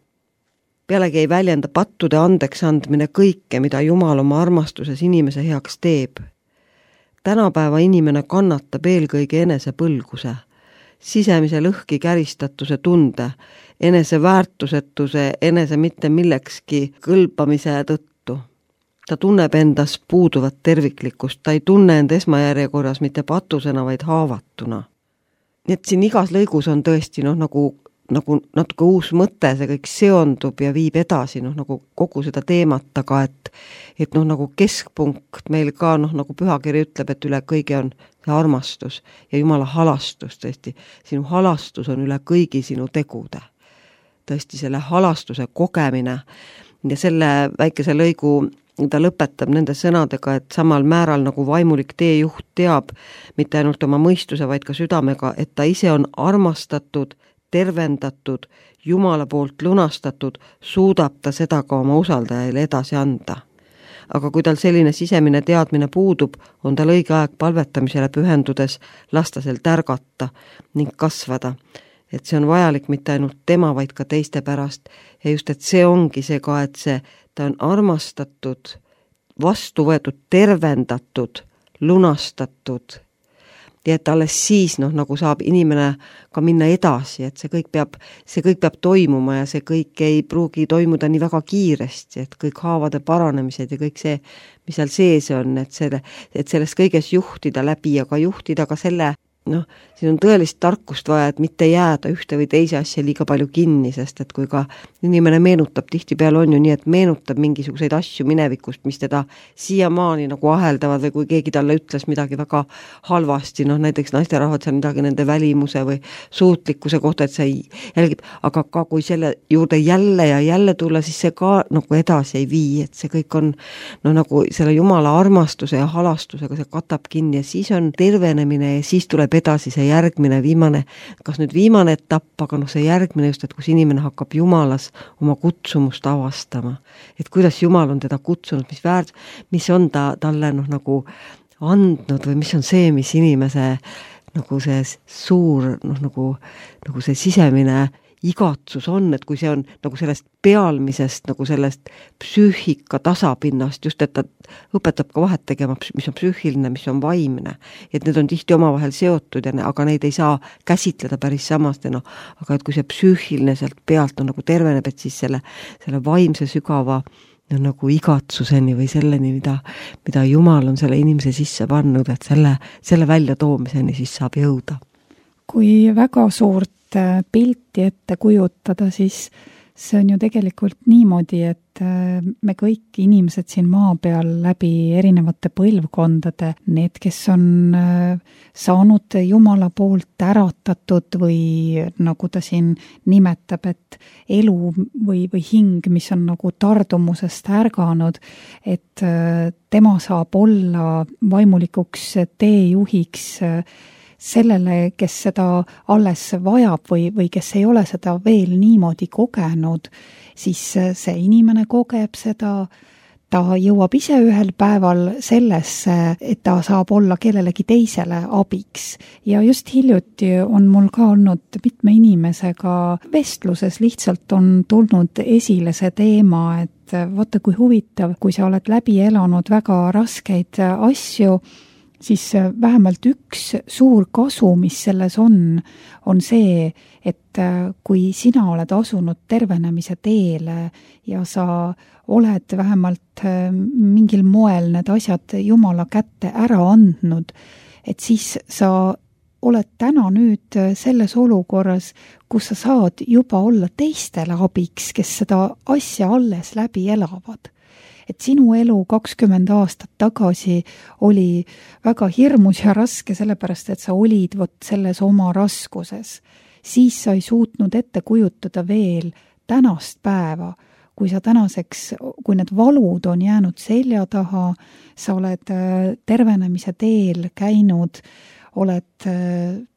Pealegi ei väljenda pattude andeks andmine kõike, mida Jumal oma armastuses inimese heaks teeb. Tänapäeva inimene kannatab eelkõige enese põlguse, sisemise lõhki käristatuse tunde, enese väärtusetuse, enese mitte millekski kõlbamise tõttu. Ta tunneb endas puuduvat terviklikkust, ta ei tunne end esmajärjekorras mitte patusena, vaid haavatuna. Nii et siin igas lõigus on tõesti noh, nagu, nagu natuke uus mõte, see kõik seondub ja viib edasi noh, nagu kogu seda teemat, aga et, et noh, nagu keskpunkt meil ka noh, nagu pühakiri ütleb, et üle kõige on see armastus ja Jumala halastus tõesti. Sinu halastus on üle kõigi sinu tegude. Tõesti selle halastuse kogemine ja selle väikese lõigu ta lõpetab nende sõnadega, et samal määral nagu vaimulik teejuht teab mitte ainult oma mõistuse, vaid ka südamega, et ta ise on armastatud, tervendatud, Jumala poolt lunastatud, suudab ta seda ka oma usaldajaile edasi anda. Aga kui tal selline sisemine teadmine puudub, on tal õige aeg palvetamisele pühendudes lasta sel tärgata ning kasvada. Et see on vajalik mitte ainult tema, vaid ka teiste pärast. Ja just, et see ongi see ka, et see, ta on armastatud, vastu võetud, tervendatud, lunastatud. Ja et alles siis, noh, nagu saab inimene ka minna edasi, et see kõik peab, see kõik peab toimuma ja see kõik ei pruugi toimuda nii väga kiiresti, et kõik haavade paranemised ja kõik see, mis seal sees on, et, selle, et sellest kõiges juhtida läbi ja ka juhtida ka selle, noh, siin on tõelist tarkust vaja, et mitte jääda ühte või teise asja liiga palju kinni, sest et kui ka inimene meenutab, tihtipeale on ju nii, et meenutab mingisuguseid asju minevikust, mis teda siiamaani nagu aheldavad või kui keegi talle ütles midagi väga halvasti, noh näiteks naisterahvad seal midagi nende välimuse või suutlikkuse kohta, et see jälgib, aga ka kui selle juurde jälle ja jälle tulla, siis see ka nagu edasi ei vii, et see kõik on no nagu selle Jumala armastuse ja halastusega see katab kinni ja siis on tervenemine ja siis tuleb edasi see järgmine, viimane, kas nüüd viimane etapp, aga noh see järgmine just, et kus inimene hakkab Jumalas oma kutsumust avastama. Et kuidas Jumal on teda kutsunud, mis väärt, mis on ta talle noh nagu andnud või mis on see, mis inimese nagu see suur noh nagu, nagu see sisemine igatsus on, et kui see on nagu sellest pealmisest, nagu sellest psüühika tasapinnast, just et ta õpetab ka vahet tegema, mis on psüühiline, mis on vaimne. Et need on tihti omavahel seotud, ja ne, aga neid ei saa käsitleda päris samastena. Aga et kui see psüühiline sealt pealt on nagu terveneb, et siis selle, selle vaimse sügava no, nagu igatsuseni või selleni, mida, mida Jumal on selle inimese sisse pannud, et selle, selle välja toomiseni siis saab jõuda. Kui väga suurt pilti ette kujutada, siis see on ju tegelikult niimoodi, et me kõik inimesed siin maa peal läbi erinevate põlvkondade, need, kes on saanud Jumala poolt äratatud või nagu ta siin nimetab, et elu või, või hing, mis on nagu tardumusest ärganud, et tema saab olla vaimulikuks teejuhiks sellele, kes seda alles vajab või, või kes ei ole seda veel niimoodi kogenud, siis see inimene kogeb seda, ta jõuab ise ühel päeval sellesse, et ta saab olla kellelegi teisele abiks. Ja just hiljuti on mul ka olnud mitme inimesega vestluses, lihtsalt on tulnud esile see teema, et vaata kui huvitav, kui sa oled läbi elanud väga raskeid asju, siis vähemalt üks suur kasu, mis selles on, on see, et kui sina oled asunud tervenemise teele ja sa oled vähemalt mingil moel need asjad Jumala kätte ära andnud, et siis sa oled täna nüüd selles olukorras, kus sa saad juba olla teistele abiks, kes seda asja alles läbi elavad. Et sinu elu kakskümmend aastat tagasi oli väga hirmus ja raske, sellepärast et sa olid vot selles oma raskuses. siis sa ei suutnud ette kujutada veel tänast päeva, kui sa tänaseks, kui need valud on jäänud selja taha, sa oled tervenemise teel käinud, oled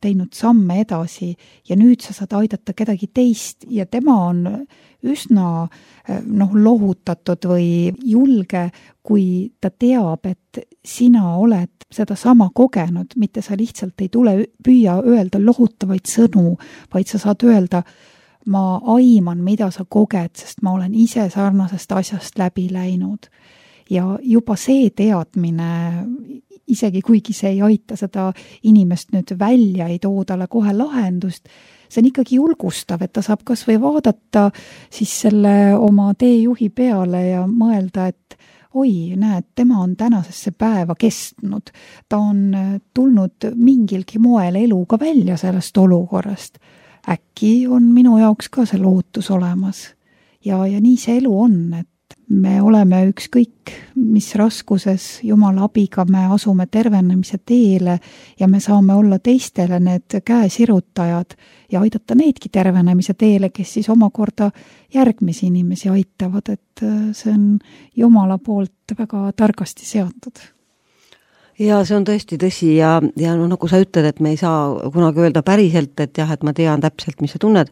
teinud samme edasi ja nüüd sa saad aidata kedagi teist ja tema on üsna noh, lohutatud või julge, kui ta teab, et sina oled seda sama kogenud, mitte sa lihtsalt ei tule püüa öelda lohutavaid sõnu, vaid sa saad öelda, ma aiman, mida sa koged, sest ma olen ise sarnasest asjast läbi läinud. Ja juba see teadmine, isegi kuigi see ei aita seda inimest nüüd välja, ei too talle kohe lahendust, see on ikkagi julgustav, et ta saab kas või vaadata siis selle oma teejuhi peale ja mõelda, et oi, näed, tema on tänasesse päeva kestnud. Ta on tulnud mingilgi moel eluga välja sellest olukorrast. Äkki on minu jaoks ka see lootus olemas. Ja, ja nii see elu on, et me oleme ükskõik, mis raskuses Jumala abiga me asume tervenemise teele ja me saame olla teistele need käesirutajad ja aidata needki tervenemise teele, kes siis omakorda järgmisi inimesi aitavad, et see on Jumala poolt väga targasti seatud. Ja see on tõesti tõsi ja, ja no, nagu sa ütled, et me ei saa kunagi öelda päriselt, et jah, et ma tean täpselt, mis sa tunned,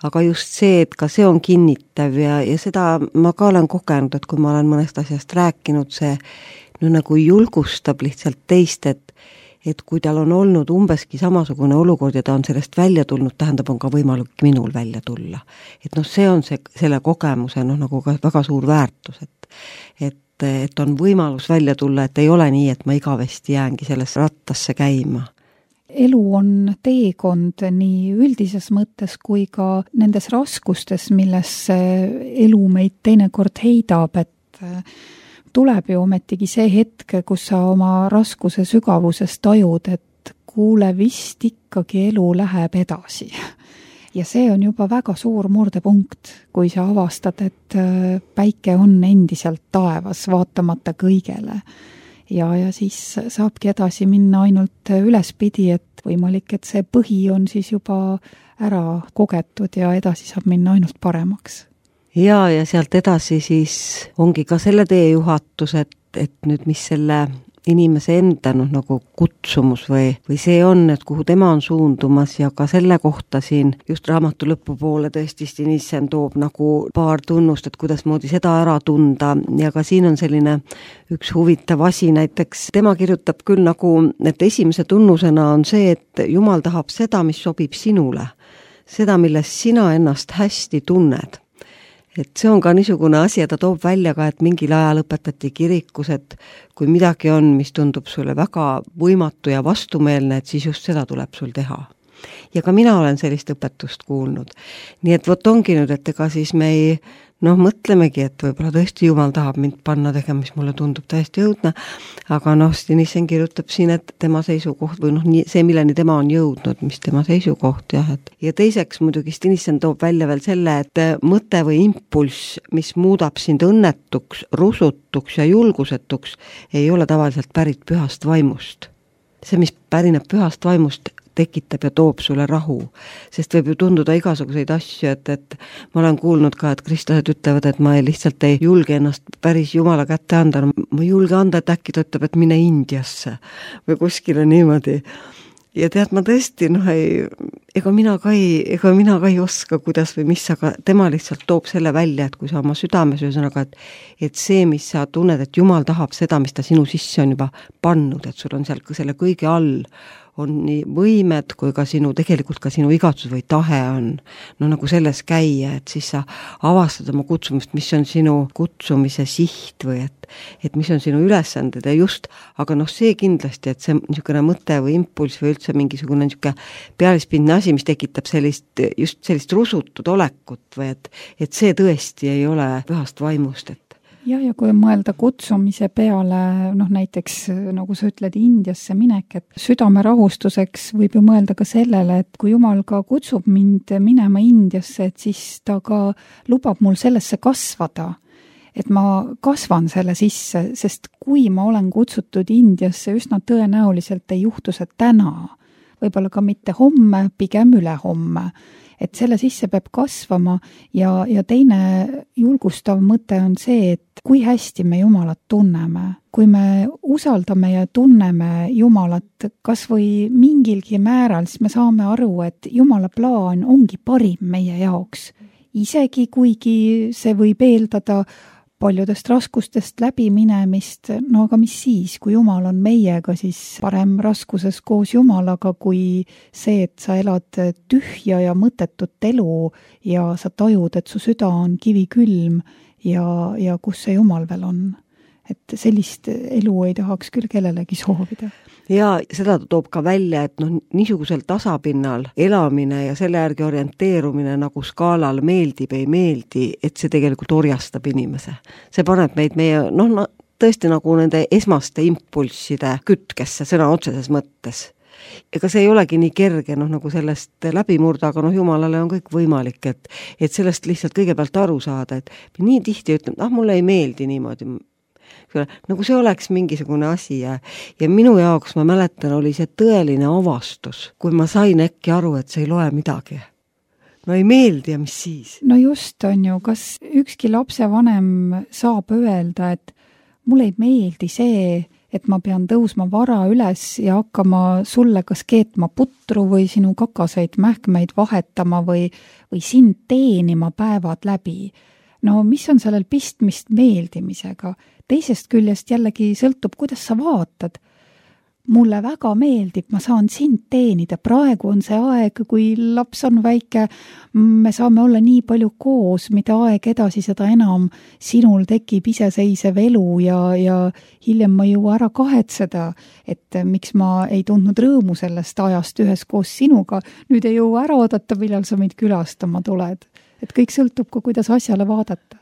aga just see, et ka see on kinnitav ja, ja seda ma ka olen kogenud, et kui ma olen mõnest asjast rääkinud, see no, nagu julgustab lihtsalt teist, et, et kui tal on olnud umbeski samasugune olukord ja ta on sellest välja tulnud, tähendab, on ka võimalik minul välja tulla. Et noh, see on see, selle kogemuse noh, nagu ka väga suur väärtus, et, et et on võimalus välja tulla, et ei ole nii, et ma igavesti jäängi sellesse rattasse käima. Elu on teekond nii üldises mõttes kui ka nendes raskustes, milles elu meid teinekord heidab, et tuleb ju ometigi see hetk, kus sa oma raskuse sügavuses tajud, et kuule, vist ikkagi elu läheb edasi. Ja see on juba väga suur murdepunkt, kui sa avastad, et päike on endiselt taevas, vaatamata kõigele. Ja, ja siis saabki edasi minna ainult ülespidi, et võimalik, et see põhi on siis juba ära kogetud ja edasi saab minna ainult paremaks. Ja, ja sealt edasi siis ongi ka selle teejuhatus, et, et nüüd mis selle inimese enda noh, nagu kutsumus või, või see on, et kuhu tema on suundumas ja ka selle kohta siin just raamatu lõpupoole tõesti Stinissen toob nagu paar tunnust, et kuidas moodi seda ära tunda ja ka siin on selline üks huvitav asi, näiteks tema kirjutab küll nagu, et esimese tunnusena on see, et Jumal tahab seda, mis sobib sinule, seda, milles sina ennast hästi tunned. Et see on ka niisugune asi, ja ta toob välja ka, et mingil ajal õpetati kirikus, et kui midagi on, mis tundub sulle väga võimatu ja vastumeelne, et siis just seda tuleb sul teha. Ja ka mina olen sellist õpetust kuulnud. Nii et võt ongi nüüd, et ega siis me ei, noh, mõtlemegi, et võib-olla tõesti Jumal tahab mind panna tegema, mis mulle tundub täiesti õudne, aga noh, Stinissen kirjutab siin, et tema seisukoht või noh, see, milleni tema on jõudnud, mis tema seisukoht, jah, et ja teiseks muidugi Stinissen toob välja veel selle, et mõte või impulss, mis muudab sind õnnetuks, rusutuks ja julgusetuks, ei ole tavaliselt pärit pühast vaimust. See, mis pärineb pühast vaimust, tekitab ja toob sulle rahu, sest võib ju tunduda igasuguseid asju, et, et ma olen kuulnud ka, et kristlased ütlevad, et ma ei, lihtsalt ei julge ennast päris Jumala kätte anda, ma ei julge anda, et äkki ta ütleb, et mine Indiasse või kuskile niimoodi. Ja tead, ma tõesti, noh, ei, ega mina ka ei, ega mina ka ei oska, kuidas või mis, aga tema lihtsalt toob selle välja, et kui sa oma südames ühesõnaga, et, et see, mis sa tunned, et Jumal tahab seda, mis ta sinu sisse on juba pannud, et sul on seal selle kõige all, on nii võimed kui ka sinu, tegelikult ka sinu igatsus või tahe on no nagu selles käia, et siis sa avastad oma kutsumist, mis on sinu kutsumise siht või et, et mis on sinu ülesanded ja just, aga noh, see kindlasti, et see niisugune mõte või impulss või üldse mingisugune niisugune pealispindne asi, mis tekitab sellist, just sellist rusutud olekut või et, et see tõesti ei ole pühast vaimust, et jah, ja kui mõelda kutsumise peale, noh näiteks nagu sa ütled Indiasse minek, et südame rahustuseks võib ju mõelda ka sellele, et kui Jumal ka kutsub mind minema Indiasse, et siis ta ka lubab mul sellesse kasvada, et ma kasvan selle sisse, sest kui ma olen kutsutud Indiasse, üsna tõenäoliselt ei juhtu see täna, võib-olla ka mitte homme, pigem ülehomme. Et selle sisse peab kasvama ja, ja teine julgustav mõte on see, et kui hästi me Jumalat tunneme. Kui me usaldame ja tunneme Jumalat kas või mingilgi määral, siis me saame aru, et Jumala plaan ongi parim meie jaoks. Isegi kuigi see võib eeldada paljudest raskustest läbiminemist, no aga mis siis, kui Jumal on meiega, siis parem raskuses koos Jumalaga kui see, et sa elad tühja ja mõttetut elu ja sa tajud, et su süda on kivikülm ja, ja kus see Jumal veel on. Et sellist elu ei tahaks küll kellelegi soovida. Ja seda toob ka välja, et noh, niisugusel tasapinnal elamine ja selle järgi orienteerumine nagu skaalal meeldib, ei meeldi, et see tegelikult orjastab inimese. See paneb meid meie, noh, no, tõesti nagu nende esmaste impulsside kütkesse, sõna otseses mõttes. Ega see ei olegi nii kerge, noh, nagu sellest läbi murda, aga noh, Jumalale on kõik võimalik, et, et sellest lihtsalt kõigepealt aru saada, et nii tihti ütleb, ah, mulle ei meeldi niimoodi, nagu see oleks mingisugune asi ja, ja minu jaoks, ma mäletan, oli see tõeline avastus, kui ma sain äkki aru, et see ei loe midagi. No ei meeldi ja mis siis? No just on ju, kas ükski lapsevanem saab öelda, et mulle ei meeldi see, et ma pean tõusma vara üles ja hakkama sulle kas keetma putru või sinu kakaseid mähkmeid vahetama või, või sind teenima päevad läbi. No mis on sellel pistmist meeldimisega? Teisest küljest jällegi sõltub, kuidas sa vaatad. Mulle väga meeldib, ma saan sind teenida. Praegu on see aeg, kui laps on väike, me saame olla nii palju koos, mida aeg edasi, seda enam sinul tekib iseseisev elu ja, ja hiljem ma jõua ära kahetseda, et miks ma ei tundnud rõõmu sellest ajast ühes koos sinuga. Nüüd ei jõua ära oodata, millal sa meid külastama tuled. Et kõik sõltub ka, kuidas asjale vaadata.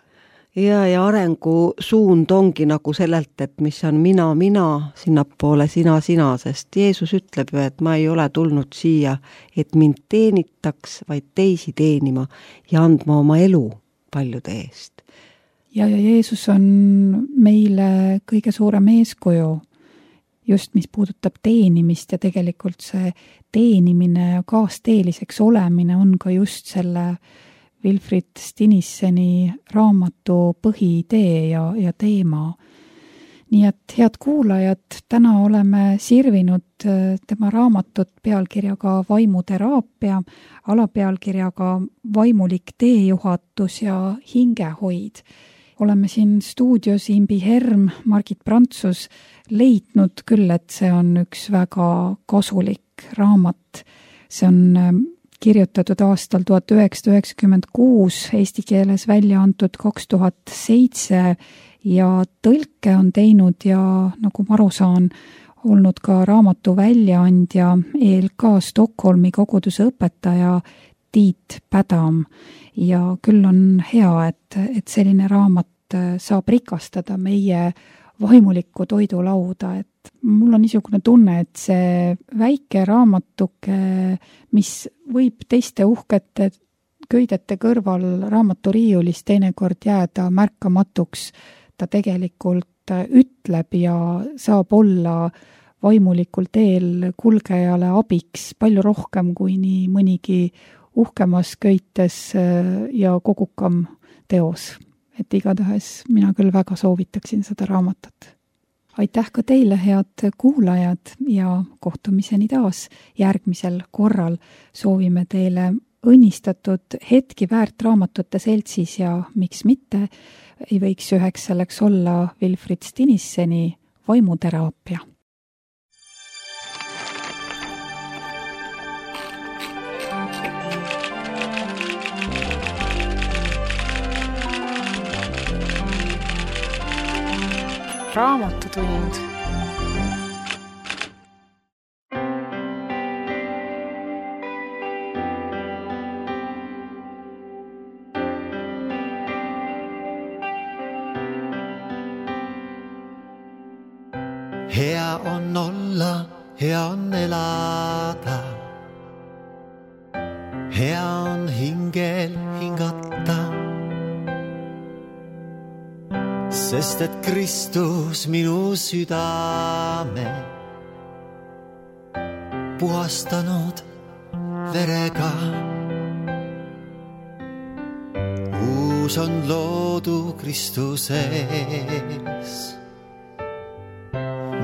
Ja, ja arengu suund ongi nagu sellelt, et mis on mina, mina, sinnapoole sina, sina, sest Jeesus ütleb ju, et ma ei ole tulnud siia, et mind teenitaks, vaid teisi teenima ja andma oma elu paljude eest. Ja, ja Jeesus on meile kõige suurem eeskuju, just mis puudutab teenimist ja tegelikult see teenimine ja kaasteeliseks olemine on ka just selle Wilfrid Stinisseni raamatu põhiidee ja, ja teema. Nii et head kuulajad, täna oleme sirvinud tema raamatut pealkirjaga Vaimuteraapia, alapealkirjaga Vaimulik teejuhatus ja hingehoid. Oleme siin stuudios Imbi Herm, Margit Prantsus leidnud küll, et see on üks väga kasulik raamat. See on kirjutatud aastal tuhat üheksasada üheksakümmend kuus, eesti keeles välja antud kaks tuhat seitse ja tõlke on teinud ja nagu ma aru saan, olnud ka raamatu väljaandja E L K Stockholmi koguduse õpetaja Tiit Pädam. Ja küll on hea, et, et selline raamat saab rikastada meie vaimulikku toidulauda, et mul on niisugune tunne, et see väike raamatuke, mis võib teiste uhkete köidete kõrval raamaturiiulis teinekord jääda märkamatuks, ta tegelikult ütleb ja saab olla vaimulikul teel kulgejale abiks palju rohkem kui nii mõnigi uhkemas köites ja kogukam teos. Et igatahes mina küll väga soovitaksin seda raamatut. Aitäh ka teile, head kuulajad, ja kohtumiseni taas järgmisel korral. Soovime teile õnnistatud hetki väärt raamatute seltsis ja miks mitte ei võiks üheks selleks olla Wilfrid Stinisseni Vaimuteraapia. Raamatutund. Hea on olla, hea on elada. Hea on hingel hingata. Sest et Kristus minu südame puhastanud verega. Uus on loodu Kristuses,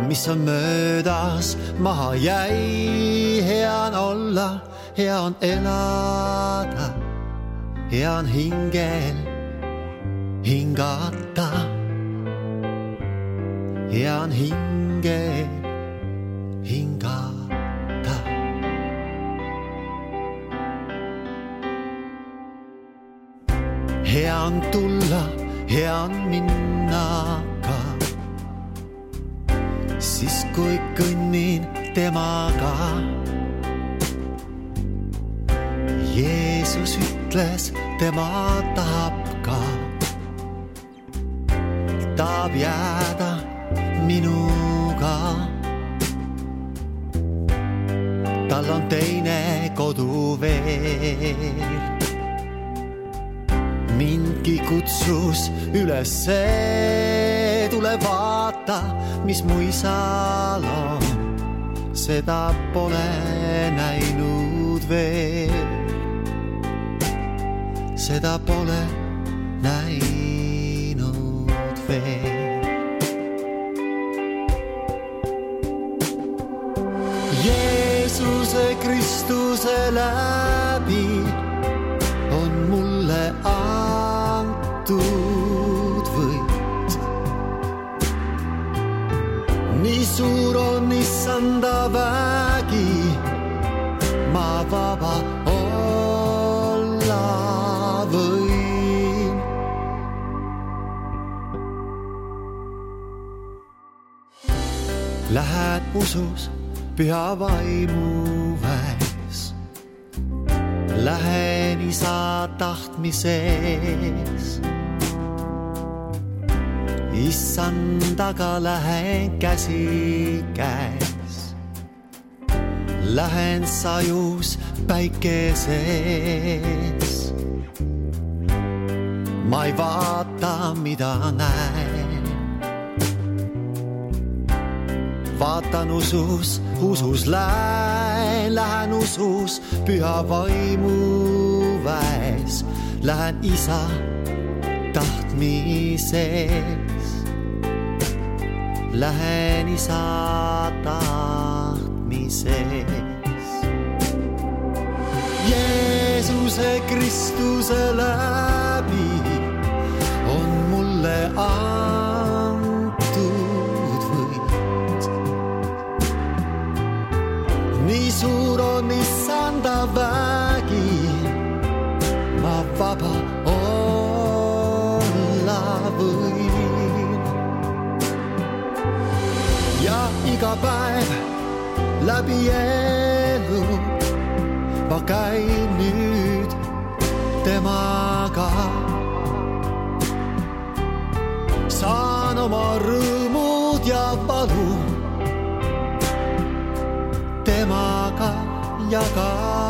mis on möödas maha jäi. Hea on olla, hea on elada, hea on hingel hingata, hea on hingel hingata. Hea on tulla, hea on minna ka, siis kui kõnnin temaga. Jeesus ütles, tema tahab ka, tahab jääda minuga. Tal on teine kodu veel, mindki kutsus ülesse. Tule vaata, mis mu isal on, seda pole näinud veel, seda pole näinud veel. Jeesuse Kristuse läbi on mulle antud võit. Nii suur on issanda vägi, ma vaba olla võin. Lähed usus püha vaimu väes, lähen isa tahtmises. Issandaga lähen käsi käes, lähen sajus päikeses. Ma ei vaata, mida näen, vaatan usus, usus lähen, lähen usus püha vaimu väes, lähen isa tahtmises, lähen isa tahtmises. Jeesuse Kristuse läbi on mulle antud võit. Nii suur on issanda vägi, ma vaba olla võin. Ja iga päev läbi elu ma käin nüüd temaga. Saan oma rõõmud ja valu temaga jagada.